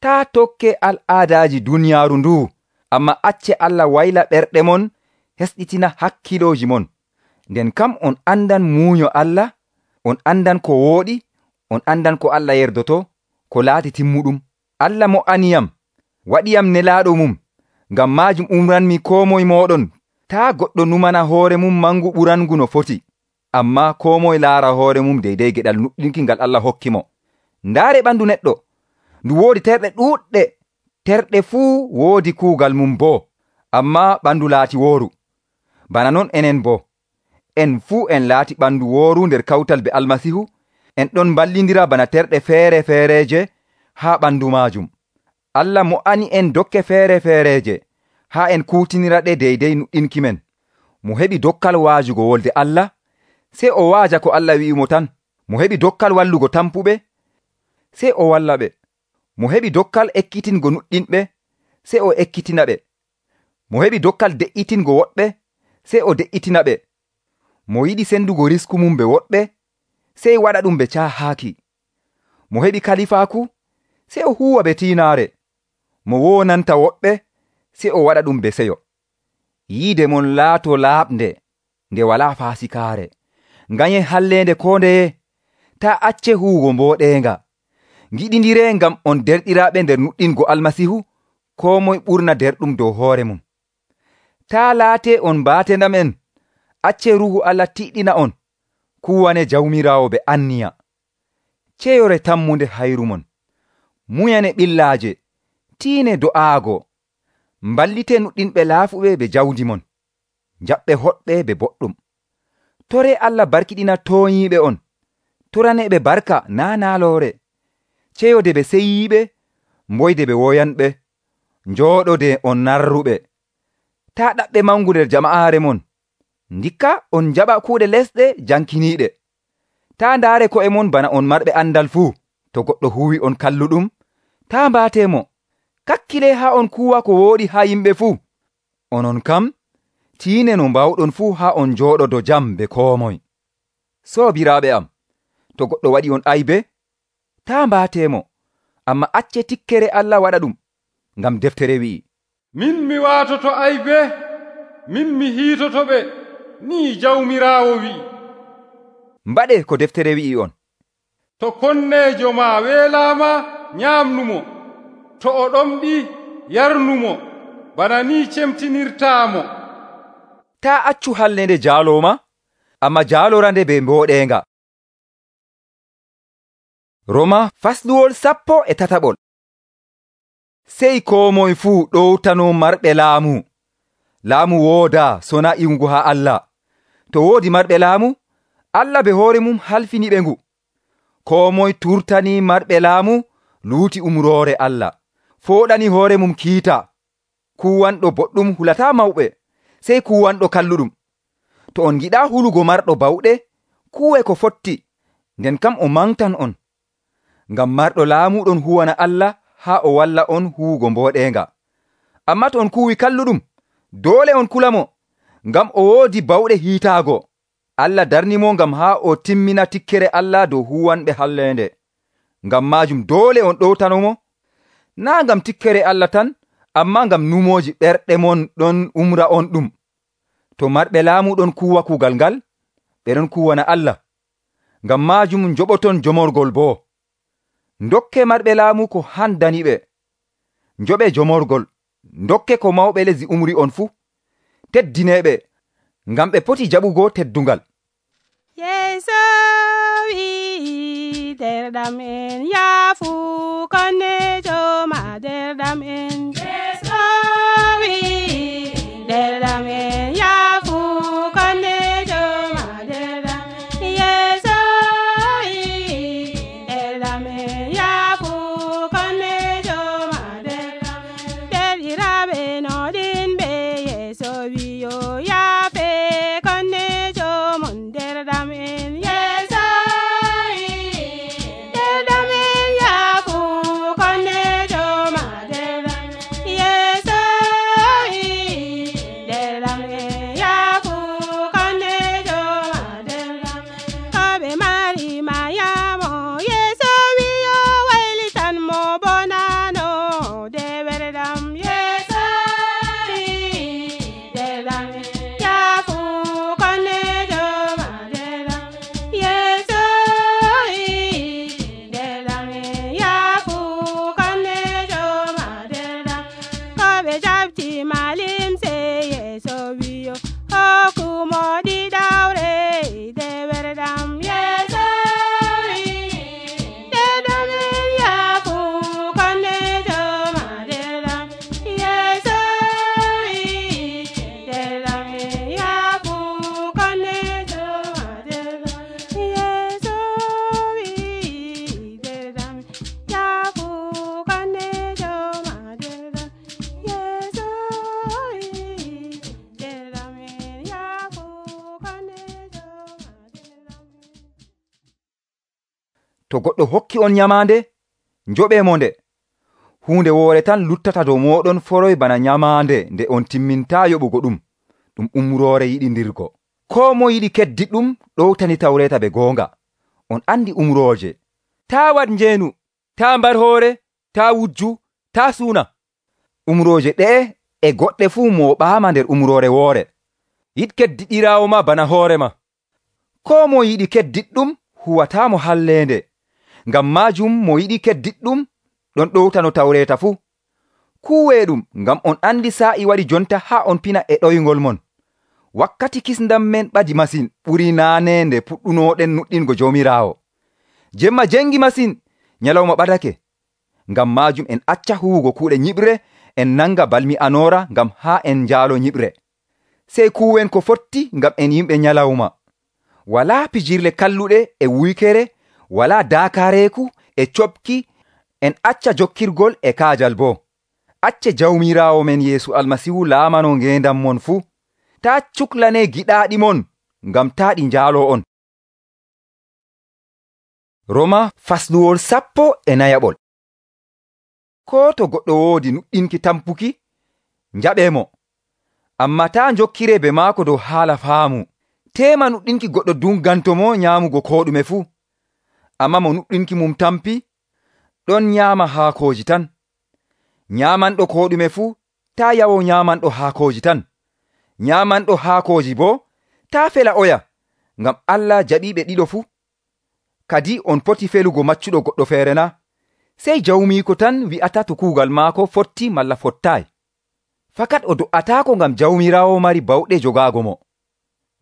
Speaker 1: Taa tokke al'aadaaji duniyaaru ndu, amma acce Allah wayla ɓerɗe mon, hesɗitina hakkilooji mon. Nden kam on andan muuyo Allah, on andan ko wooɗi, on andan ko Allah yerdoto, ko laati timmuɗum. Allah mo aniyam, waɗiyam nelaaɗo mum, ngam maajum umranmi koo moye mooɗon, taa goɗɗo numana hoore mum mangu ɓurangu no foti, amma koo moye laara hoore mum deydey geɗal nuɗɗinki ngal Allah hokki mo. Ndaare ɓandu neɗɗo, ndu woodi terɗe ɗuuɗɗe, terɗe fuu woodi kuugal mum boo, amma ɓandu laati wooru. Bana non enen boo, en fuu en laati ɓandu wooru nder kawtal be Almasihu, en ɗon ballindira bana terɗe feere-feereje haa ɓandu maajum. Allah mo ani en dokke feere-feereje haa en kuutinira ɗe deydey nuɗɗinki men. Mo heɓi dokkal waajugo wolde Allah, sey o waaja ko Allah wi'imo tan. Mo heɓi dokkal wallugo tampuɓe, sey o walla ɓe. Mo heɓi dokkal ekkitingo nuɗɗinɓe, sey o ekkitina ɓe. Mo heɓi dokkal de'itingo woɗɓe, sey o de'itina ɓe. Mo yiɗi sendugo risku mum be woɗɓe, sey waɗa ɗum be caahaaki. Mo heɓi kalifaaku, sey o huwa be tiinaare. Mo wonanta woɓɓe, sey o waɗa ɗum be seyo. Yiide mon laato laaɓnde, nde walaa faasikaare. Nganye halleende ko ndeye, taa acce huwugo mbooɗeenga. Ngiɗindire ngam on derɗiraaɓe nder nuɗɗingo Almasihu, koo moye ɓurna derɗum dow hoore mum. Taa laate on baatendam en, acce Ruuhu Allah tiɗɗina on, kuwane jawmiraawo be anniya. Ceyore tammunde hayru mon, muyane ɓillaaje, tiine do'aago, mballite nuɗɗinɓe laafuɓe be jawdi mon. jaɓɓe hoɗɓe be boɗɗum. Tore Allah barkiɗina tooñiiɓe on, toraneɓe barka naa naaloore, ceyode ɓe seyiiɓe, mboyde ɓe woyanɓe, njooɗode on narruɓe. Taa ɗaɓɓe mangu nder jama'aare mon, ndikka on jaɓa kuuɗe lesɗe jankiniiɗe. Taa ndaare ko'e mon bana on marɓe andal fuu. To goɗɗo huwi on kalluɗum, taa mbaatemo. Kakkile haa on kuwa ko wooɗi haa yimɓe fuu. Onon kam, tiine no mbawɗon fuu haa on njooɗodo jam be koo moye. Soobiraaɓe am, to goɗɗo waɗi on aybe, taa mbaatemo, amma acce tikkere Allah waɗa ɗum, ngam deftere wi'i,
Speaker 2: min mi waatoto aybe, min mi hiitotoɓe, nii Jawmiraawo wi'i.
Speaker 1: Mbaɗe ko deftere wi'i on.
Speaker 2: To konneejo ma weelaama, nyaamnumo, to o ɗomɗi, yarnumo, bana ni cemtinirtaamo.
Speaker 1: Taa accu hallende jaalooma, amma jaalorande be mbooɗeenga. Roma fasluwol 13. Sey koo moye fuu ɗowtano marɓe laamu. Laamu woodaa sona iwugo haa Allah. To woodi marɓe laamu, Allah be hoore mum halfini ɓe ngu. Koo moye turtani marɓe laamu luuti umroore Allah, fooɗani hoore mum kiita. Kuwanɗo boɗɗum hulataa mawɓe, sey kuwanɗo kalluɗum. To on giɗaa hulugo marɗo bawɗe, kuwe ko fotti, nden kam o mangtan on. Ngam marɗo laamu ɗon huwana Allah haa o walla on huwugo mbooɗeenga. Amma to on kuwi kalluɗum, doole on kulamo, ngam o woodi bawɗe hiitaago. Allah darnimo ngam haa o timmina tikkere Allah dow huwanɓe hallende. Ngam maajum doole on ɗowtanomo, naa ngam tikkere Allah tan, amma ngam numooji ɓerɗe mon ɗon umra on ɗum. To marɓe laamu ɗon kuwa kuugal ngal, ɓe ɗon kuwana Allah. Ngam maajum njoɓoton jomorgol boo. Ndokke marɓe laamu ko handani ɓe. Njoɓe jomorgol, ndokke ko mawɓe lesdi umri on fuu. Teddineɓe, ngam ɓe poti jaɓugo teddungal.
Speaker 3: Yeeso wi'i derɗam en yaafu konnejo ma derɗam en. Yeeso wi'i derɗam en yaafu konnejo ma derɗam. Yeeso wi'i derɗam en yaafu konnejo ma derɗam. Derɗiraaɓe noɗin ɓe Yeeso wi'o yaafe konnejo mon derɗam en. Yeeso wi'i derɗam en yaafu konnejo ma derɗam. Yeeso wi'i derɗam en yaafu konnejo ma derɗam. Ko ɓe mari mayamo Yeeso wi'o waylitan mo bonano dewerɗam. Yeeso wi'i derɗam en yaafu konnejo ma derɗam. Yeeso wi'i derɗam en yaafu konnejo ma derɗam. Ko ɓe jabti malimse Yeeso wi'o hokkumo ɗiɗawre dewerɗam. Yeeso wi'i derɗam en yaafu konnejo ma derɗam. Yeeso wi'i derɗam en yaafu konnejo ma derɗam. Yeeso wi'i derɗam yaafu konnejo ma derɗam. Yeeso wi'i derɗam en yaafu konnejo ma derɗam.
Speaker 1: To goɗɗo hokki on nyamaande, njoɓe mo nde. Huunde woore tan luttata dow mooɗon foroy bana nyamaande nde on timmintaa yoɓugo ɗum umroore yiɗindirgo. Koo mo yiɗi keddiɗum ɗowtani tawreeta be goonga. On andi umrooje. Taa waɗ njeenu, taa mbar hoore, taa wujju, taa suuna. Umrooje ɗe'e e goɗɗe fuu mooɓaama nder umroore woore. Yiɗ keddiɗiraawo ma bana hoore ma. Koo mo yiɗi keddiɗɗum huwataamo halleende. Ngam maajum mo yiɗi keddiɗɗum ɗon ɗowtano tawreeta fuu. Kuwee ɗum, ngam on andi saa'i waɗi jonta haa on pina e ɗoyngol mon. Wakkati kisndam men ɓadi masin, ɓuri naane nde puɗɗunooɗen nuɗɗingo Joomiraawo. Jemma jengi masin, nyalawma ɓadake. Ngam maajum en acca huwugo kuuɗe nyiɓre, en nanga balmi anoora ngam haa en njaalo nyiɓre. sey kuwen ko fotti ngam en yimɓe nyalawma. Walaa pijirle kalluɗe e wuykere, walaa daakaareeku e coɓki, en acca jokkirgol e kaajal boo. Acce Jawmiraawo men Yeesu Almasihu laamano ngeendam mon fuu. Taa cuklanee giɗaaɗi mon ngam taa ɗi njaaloo on. Roma fasluwol 14. Koo to goɗɗo woodi nuɗɗinki tampuki, njaɓeemo, ammaa taa njokkiree be maako dow haala faamu. Teema nuɗɗinki goɗɗo dungantomo nyaamugo koo ɗume fuu, ammaa mo nuɗɗinki mum tampi, ɗon nyaama haakooji tan. Nyaamanɗo koo ɗume fuu, taa yawo nyaamanɗo haakooji tan. Nyaamanɗo haakooji boo, taa fela oya, ngam Allah jaɓiiɓe ɗiɗo fuu. Kadi on poti felugo maccuɗo goɗɗo feere na? Sey jawmiiko tan wi'ata to kuugal maako fotti malla fottaay. Fakat o do'ataako ngam Jawmiraawo mari bawɗe jogaago mo.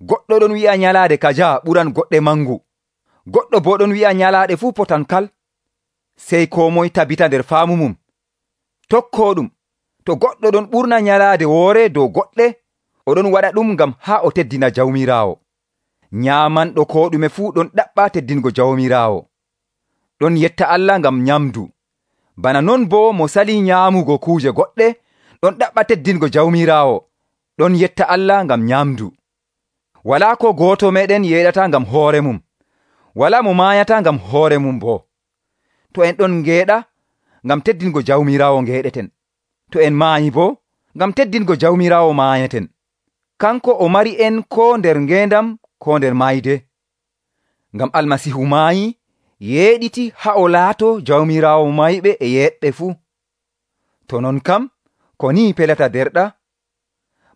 Speaker 1: Goɗɗo ɗon wi'a nyalaade kaja ɓuran goɗɗe mangu. Goɗɗo boo ɗon wi'a nyalaade fuu potan kal. Sey koo moye tabita nder faamu mum. Tokkoo ɗum, to goɗɗo ɗon ɓurna nyalaade woore dow goɗɗe, oɗon waɗa ɗum ngam haa o teddina Jawmiraawo. Nyaamanɗo koo ɗume fuu ɗon ɗaɓɓa teddingo Jawmiraawo. Ɗon yetta Allah ngam nyamdu. Bana non boo mo salii nyaamugo kuuje goɗɗe, ɗon ɗaɓɓa teddingo Jawmiraawo. Ɗon yetta Allah ngam nyamdu. Walaa ko gooto meɗen yeeɗata ngam hoore mum. Walaa mo maayata ngam hoore mum boo. To en ɗon ngeeɗa, ngam teddingo Jawmiraawo ngeeɗeten. To en maayi boo, ngam teddingo Jawmiraawo maayeten. Kanko o mari en koo nder ngeendam koo nder mayde. Ngam Almasihu maayi, yeeɗiti haa o laato Jawmiraawo mayɓe e yeeɗɓe fuu. To non kam, ko ni pelata derɗa?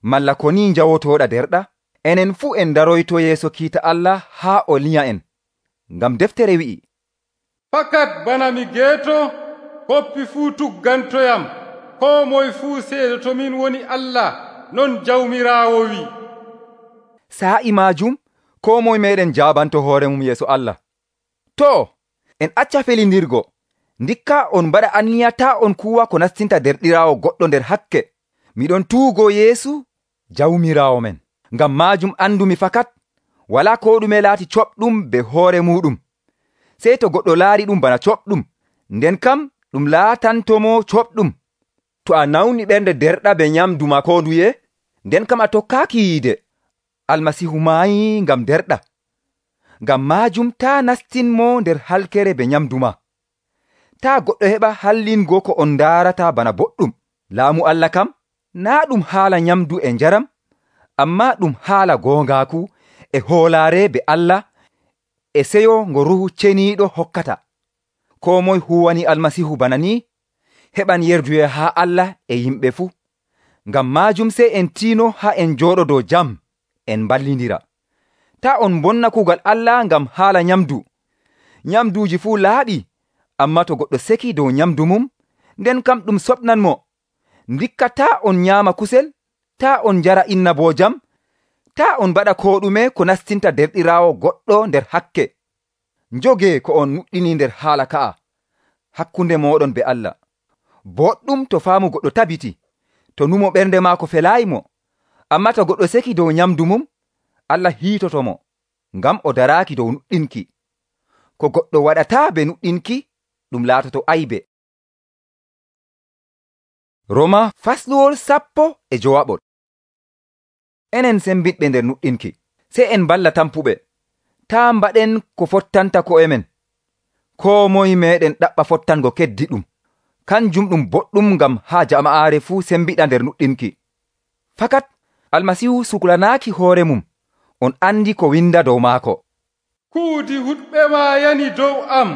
Speaker 1: Malla ko ni njawotooɗa derɗa? Enen fuu en daroyto yeeso kiita Allah haa o linya en. Ngam deftere wi'i,
Speaker 2: fakat bana mi geeto, koppi fuu tuggantoyam, koo moye fuu seedo min woni Allah, non Jawmiraawo wi.
Speaker 1: Sa'i maajum, koo moye meɗen jaabanto hoore mum yeeso Allah. To, en acca felindirgo, ndikka on mbaɗa anniya taa on kuwa ko nastinta derɗiraawo goɗɗo nder hakke. Miɗon tuugo Yeesu Jawmiraawo men. Ngam maajum andumi fakat, walaa koo ɗume laati coɓɗum be hoore muɗum. Sey to goɗɗo laari ɗum bana coɓɗum, nden kam ɗum laatantomo coɓɗum. To a nawni ɓernde derɗa be nyamdu ma koo nduye, nden kam a tokkaaki yiide. Almasihu maayi ngam derɗa. Ngam maajum taa nastinmo nder halkere be nyamdu ma. Taa goɗɗo heɓa hallingo ko on ndaarata bana boɗɗum. Laamu Allah kam, naa ɗum haala nyamdu e njaram, ammaa ɗum haala goongaaku e hoolaare be Allah e seyo ngo Ruhu ceniiɗo hokkata. Koo moye huwani Almasihu bana ni, heɓan yerduye haa Allah e yimɓe fuu. Ngam maajum sey en tiino haa en jooɗodoo jam, en ballindira. Taa on bonna kuugal Allah ngam haala nyamdu. Nyamduuji fuu laaɓi, ammaa to goɗɗo seki dow nyamdu mum, nden kam ɗum soɓnanmo. Ndikka taa on nyaama kusel, taa on njara innaboojam, taa on mbaɗa koo ɗume ko nastinta derɗiraawo goɗɗo nder hakke. Njogee ko on nuɗɗini nder haala ka'a, hakkunde mooɗon be Allah. Boɗɗum to faamu goɗɗo tabiti, to numo ɓernde maako felaayimo, ammaa to goɗɗo seki dow nyamdu mum, Allah hiitotomo, ngam o daraaki dow nuɗɗinki. Ko goɗɗo waɗataa be nuɗɗinki, ɗum laatoto aybe. Roma fasluwol 10. Enen sembiɗɓe nder nuɗɗinki, sey en balla tampuɓe. Taa mbaɗen ko fottanta ko'e men. Koo moye meɗen ɗaɓɓa fottango keddi ɗum. Kanjum ɗum boɗɗum ngam haa jama'aare fuu sembiɗa nder nuɗɗinki. Fakat Almasihu suklanaaki hoore mum. On andi ko winda dow maako.
Speaker 2: Kuudi huɗɓe ma yani dow am.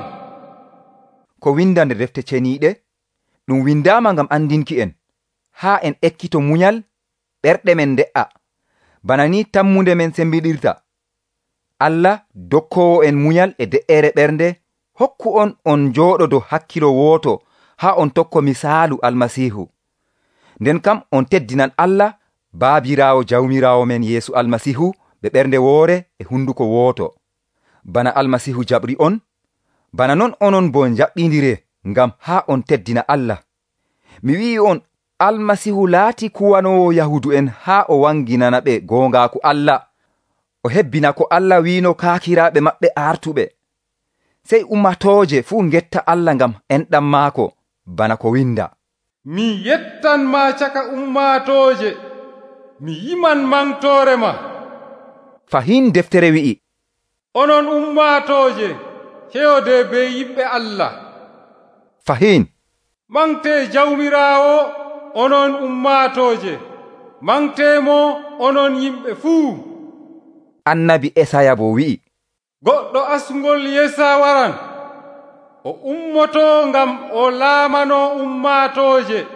Speaker 1: Ko winda nder defte ceniiɗe, ɗum windaama ngam andinki en, haa en ekkito munyal, ɓerɗe men nde'a, bana ni tammunde men sembiɗirta. Allah dokkowo en munyal e de'ere ɓernde, hokku on jooɗodo hakkilo wooto, haa on tokko misaalu Almasihu. Nden kam on teddinan Allah, baabiraawo Jawmiraawo men Yeesu Almasihu, ɓe ɓernde woore e hunduko wooto. Bana Almasihu jaɓri on, bana non onon bo jaɓɓindire ngam haa on teddina Allah. Mi wi'i on Almasihu laati kuwanowo Yahudu'en haa o wanginana ɓe goongaaku Allah, o hebbina ko Allah wiino kaakiraaɓe maɓɓe artuɓe. Sey ummatooje fuu ngetta Allah ngam enɗam maako, bana ko winda:
Speaker 2: mi yettanmaa caka ummatooje, mi yiman mangtoore ma.
Speaker 1: Fahin deftere wi'i:
Speaker 2: onon ummatooje, keyode be yimɓe Allah.
Speaker 1: Fahin
Speaker 2: mangtee Jawmiraawo, onon ummatooje, mangteemo onon yimɓe fuu.
Speaker 1: Annabi Esaya bo wi'i:
Speaker 2: goɗɗo asngol Yesa waran, o ummotoo ngam o laamano ummatooje,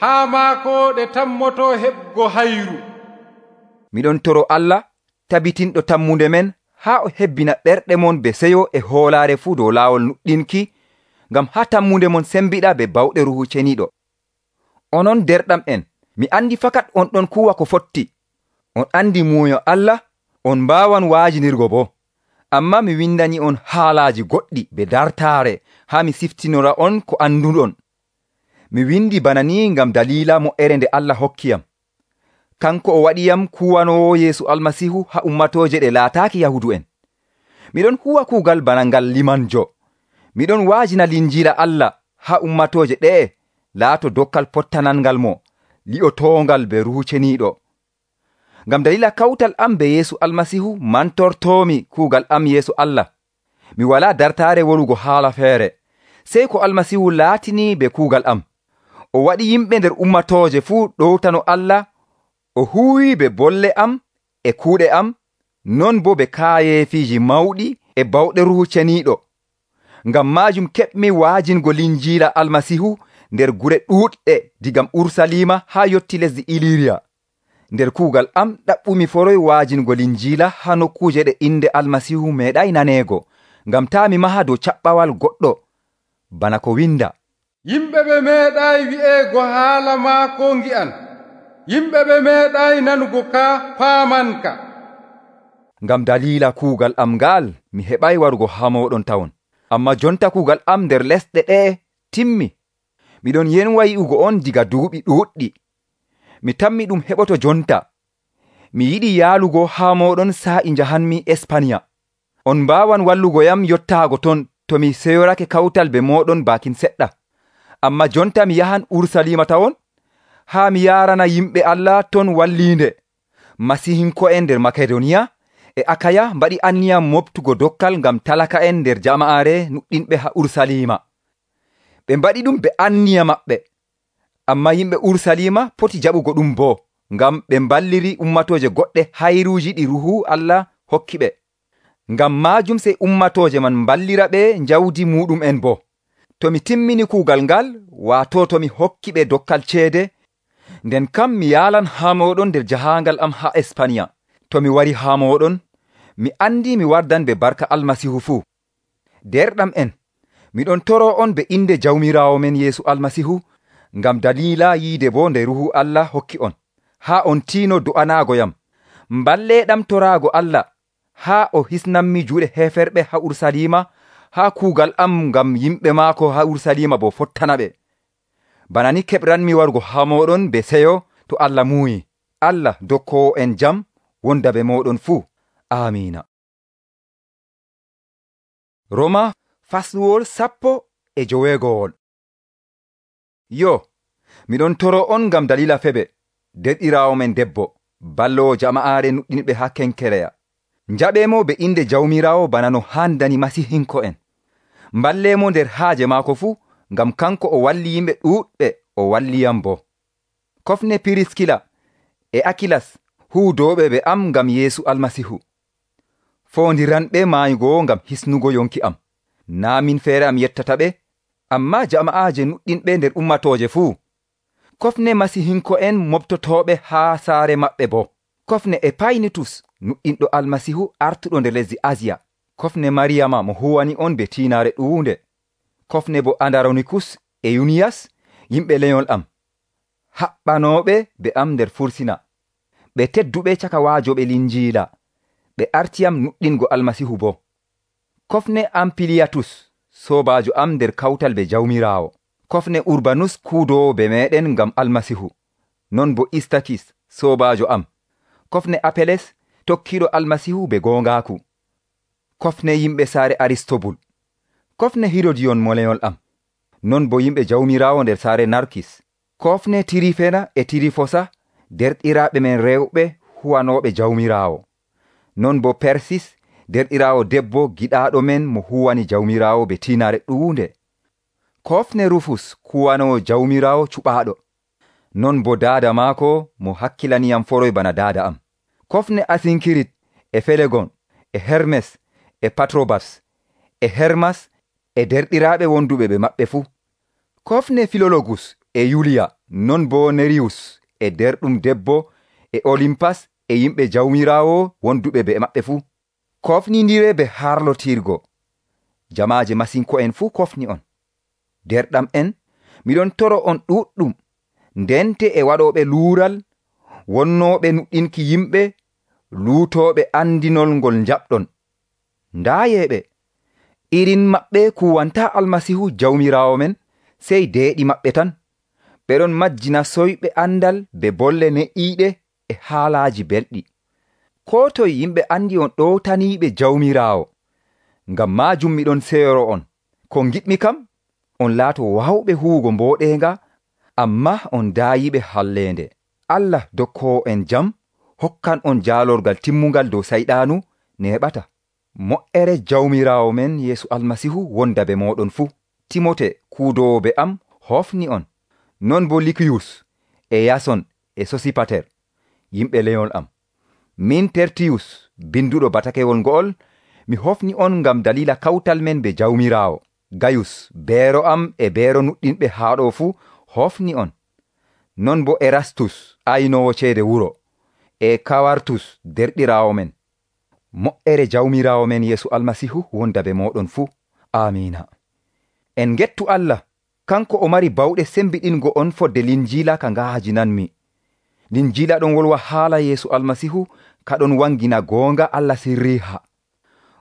Speaker 2: haa maako ɗe tammoto heɓgo hayru.
Speaker 1: Miɗon toro Allah tabitinɗo tammunde men haa o hebbina ɓerɗe mon be seyo e hoolaare fuu dow laawol nuɗɗinki, ngam haa tammunde mon sembiɗa be bawɗe Ruuhu Ceniiɗo. Onon derɗam en, mi andi fakat on ɗon kuwa ko fotti. On andi muuyo Allah, on mbaawan waajinirgo bo. Amma mi windani on haalaaji goɗɗi be dartaare haa mi siftinora on ko anduɗon. Mi windi bana ni ngam daliila mo'ere nde Allah hokkiyam. Kanko o waɗiyam kuwanowo Yeesu Almasihu haa ummatooje ɗe laataaki Yahudu'en. Miɗon huwa kuugal bana ngal limanjo. Miɗon waajina linjiila Allah haa ummatooje ɗe'e laato dokkal pottanangal mo, li'otoongal be Ruuhu Ceniiɗo. Ngam dalila kawtal am be Yeesu Almasihu mantortoomi kuugal am yeeso Allah. Mi walaa dartaare wolugo haala feere, sey ko Almasihu laatini be kuugal am. O waɗi yimɓe nder ummatooje fuu ɗowtano Allah, o huuwi be bolle am e kuuɗe am, non bo be kaayeefiiji mawɗi e bawɗe Ruuhu Ceniiɗo. Ngam maajum keɓmi waajingo linjiila Almasihu nder gure ɗuuɗɗe digam Urusalima haa yotti lesdi Iliriya. Nder kuugal am ɗaɓɓumi foroy waajingo linjiila haa nokkuuje ɗe inde Almasihu meeɗay naneego, ngam taa mi maha dow caɓɓawal goɗɗo, bana ko winda:
Speaker 2: yimɓe ɓe meeɗay wi'eego haala maako ngi'an, yimɓe ɓe meeɗay nanugo ka paamanka.
Speaker 1: Ngam daliila kuugal am ngal mi heɓay warugo haa mooɗon tawon. Amma jonta kuugal am nder lesɗe ɗe'e timmi. Miɗon yenwa yi'ugo on diga duuɓi ɗuuɗɗi. Mi tammi ɗum heɓoto jonta. Mi yiɗi yaalugo haa mooɗon sa'i njahanmi Espanya. On mbaawan wallugoyam yottaago ton to mi seyorake kawtal be mooɗon baakin seɗɗa. Amma jonta mi yahan Urusalima tawon, haa mi yaarana yimɓe Allah ton walliinde. Masihinko'en nder Makedoniya e Akaya mbaɗi anniyam moftugo dokkal ngam talaka'en nder jama'aare nuɗɗinɓe haa Urusalima. Ɓe mbaɗi ɗum be anniya maɓɓe. Amma yimɓe Urusalima poti jaɓugo ɗum bo, ngam ɓe mballiri ummatooje goɗɗe hayruuji ɗi Ruuhu Allah hokki ɓe. Ngam maajum sey ummatooje man mballira ɓe njawdi muɗum'en bo. To mi timmini kuugal ngal, waato to mi hokki ɓe dokkal ceede, nden kam mi yaalan haa mooɗon nder jahaangal am haa Espanya. To mi wari haa mooɗon, mi andi mi wardan be barka Almasihu fuu. Derɗam en, miɗon toro on be inde Jawmiraawo men Yeesu Almasihu, ngam daliila yiide bo nde Ruuhu Allah hokki on, haa on tiino do'anaagoyam. Mballeeɗam toraago Allah, haa o hisnanmi juuɗe heferɓe haa Urusalima, haa kuugal am ngam yimɓe maako haa Urusalima bo fottana ɓe. Bana ni keɓranmi warugo haa mooɗon be seyo to Allah muuyi. Allah dokkowo en jam wonda be mooɗon fuu. Amiina. Roma fasluwol 15. Yo, miɗon toro on ngam dalila Febe, derɗiraawo men debbo, ballowo jama'aare nuɗɗinɓe haa Kenkereya. Njaɓemo be inde Jawmiraawo bana no handani masihinko'en. Mballemo nder haaje maako fuu, ngam kanko o walli yimɓe ɗuuɗɓe, o walliyam bo. Kofne Piriskila e Akilas huudoɓe be am ngam Yeesu Almasihu. Foondiranɓe maayugo ngam hisnugo yonki am. Naa min feere am yettata ɓe, amma jama'aaje nuɗɗinɓe nder ummatooje fuu. Kofne masihinko'en mobtotooɓe haa saare maɓɓe bo. Kofne Epaynitus nuɗɗinɗo Almasihu artuɗo nder lesdi Asiya. Kofne Mariyama mo huwani on be tiinaare ɗuunde. Kofne bo Andaronikus e Yuniyas, yimɓe lenyol am. Haɓɓanooɓe be am nder fursina. Ɓe tedduɓe caka waajoɓe linjiila. Ɓe artiyam nuɗɗingo Almasihu bo. Kofne Ampiliyatus, soobaajo am nder kawtal be Jawmiraawo. kofne Urbanus kuudowo be meɗen ngam Almasihu, non bo Istakis soobaajo am, kofne Apeles tokkiɗo Almasihu be goongaaku, kofne yimɓe saare Aristobul, kofne Hirodiyon moleyol am, non bo yimɓe Jawmiraawo nder saare Narkis, kofne Tirifena e Tirifosa derɗiraaɓe men rewɓe huwanooɓe Jawmiraawo, non bo Persis derɗiraawo debbo giɗaaɗo men mo huwani Jawmiraawo be tiinare ɗuunde, kofne Rufus kuwanowo Jawmiraawo cuɓaaɗo, non bo daada maako mo hakkilaniyam foroy bana daada am, kofne Asinkirit e Felegon e Hermes e Patrobas e Hermas e derɗiraaɓe wonduɓe ɓe maɓɓe fuu, kofne Filologus e Yuliya, non bo Neriyus e derɗum debbo e Olimpas e yimɓe Jawmiraawo wonduɓe be maɓɓe fuu, kofnindire be harlotirgo. Jamaaje masinko'en fuu kofni on. Derɗam en, miɗon toro on ɗuɗɗum, ndente e waɗooɓe luural, wonnooɓe nuɗɗinki yimɓe, luutooɓe andinol ngol jaɓɗon. Ndaayeeɓe, irin maɓɓe kuwanta Almasihu Jawmiraawo men, sey deeɗi maɓɓe tan. Ɓeɗon majjina soyɓe andal be bolle ne'iiɗe e haalaaji belɗi. Koo toye yimɓe andi on ɗowtaniiɓe Jawmiraawo. Ngam maajum miɗon seyoro on. Ko giɗmi kam, on laato wawɓe huwugo mbooɗeenga, amma on daayiɓe halleende. Allah dokkoowo en jam hokkan on jaalorgal timmungal dow sayɗaanu neeɓata. Mo'ere Jawmiraawo men Yeesu Almasihu wonda be mooɗon fuu. Timote kuudowo be am hofni on. Non bo Likiyus e Yason e Sosipater, yimɓe leyol am. Min Tertiyus, binduɗo batakewol ngo'ol, mi hofni on ngam dalila kawtal men be Jawmiraawo. Gayus, beero am e beero nuɗɗinɓe haaɗo fuu hofni on. Non bo Erastus, aynowo ceede wuro, e Kawartus derɗiraawo men. Mo'ere Jawmiraawo men Yeesu Almasihu wonda be mooɗon fuu. Amiina. En gettu Allah, kanko o mari bawɗe sembiɗingo on fodde linjiila ka ngaajinanmi. Linjiila ɗon wolwa haala Yeesu Almasihu ka ɗon wangina goonga Allah sirriha.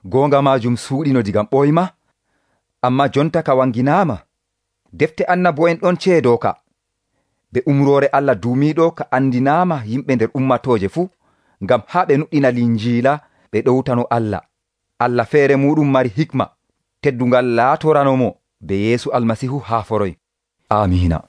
Speaker 1: Goonga maajum suuɗino digam ɓoyma, amma jonta ka wanginaama. Defte annabo'en ɗon ceedo ka. Be umroore Allah duumiiɗo ka andinaama yimɓe nder ummatooje fuu, ngam haa ɓe nuɗɗina linjiila ɓe ɗowtano Allah. Allah feere muɗum mari hikma, teddungal laatoranomo be Yeesu Almasihu haa foroy. Amiina.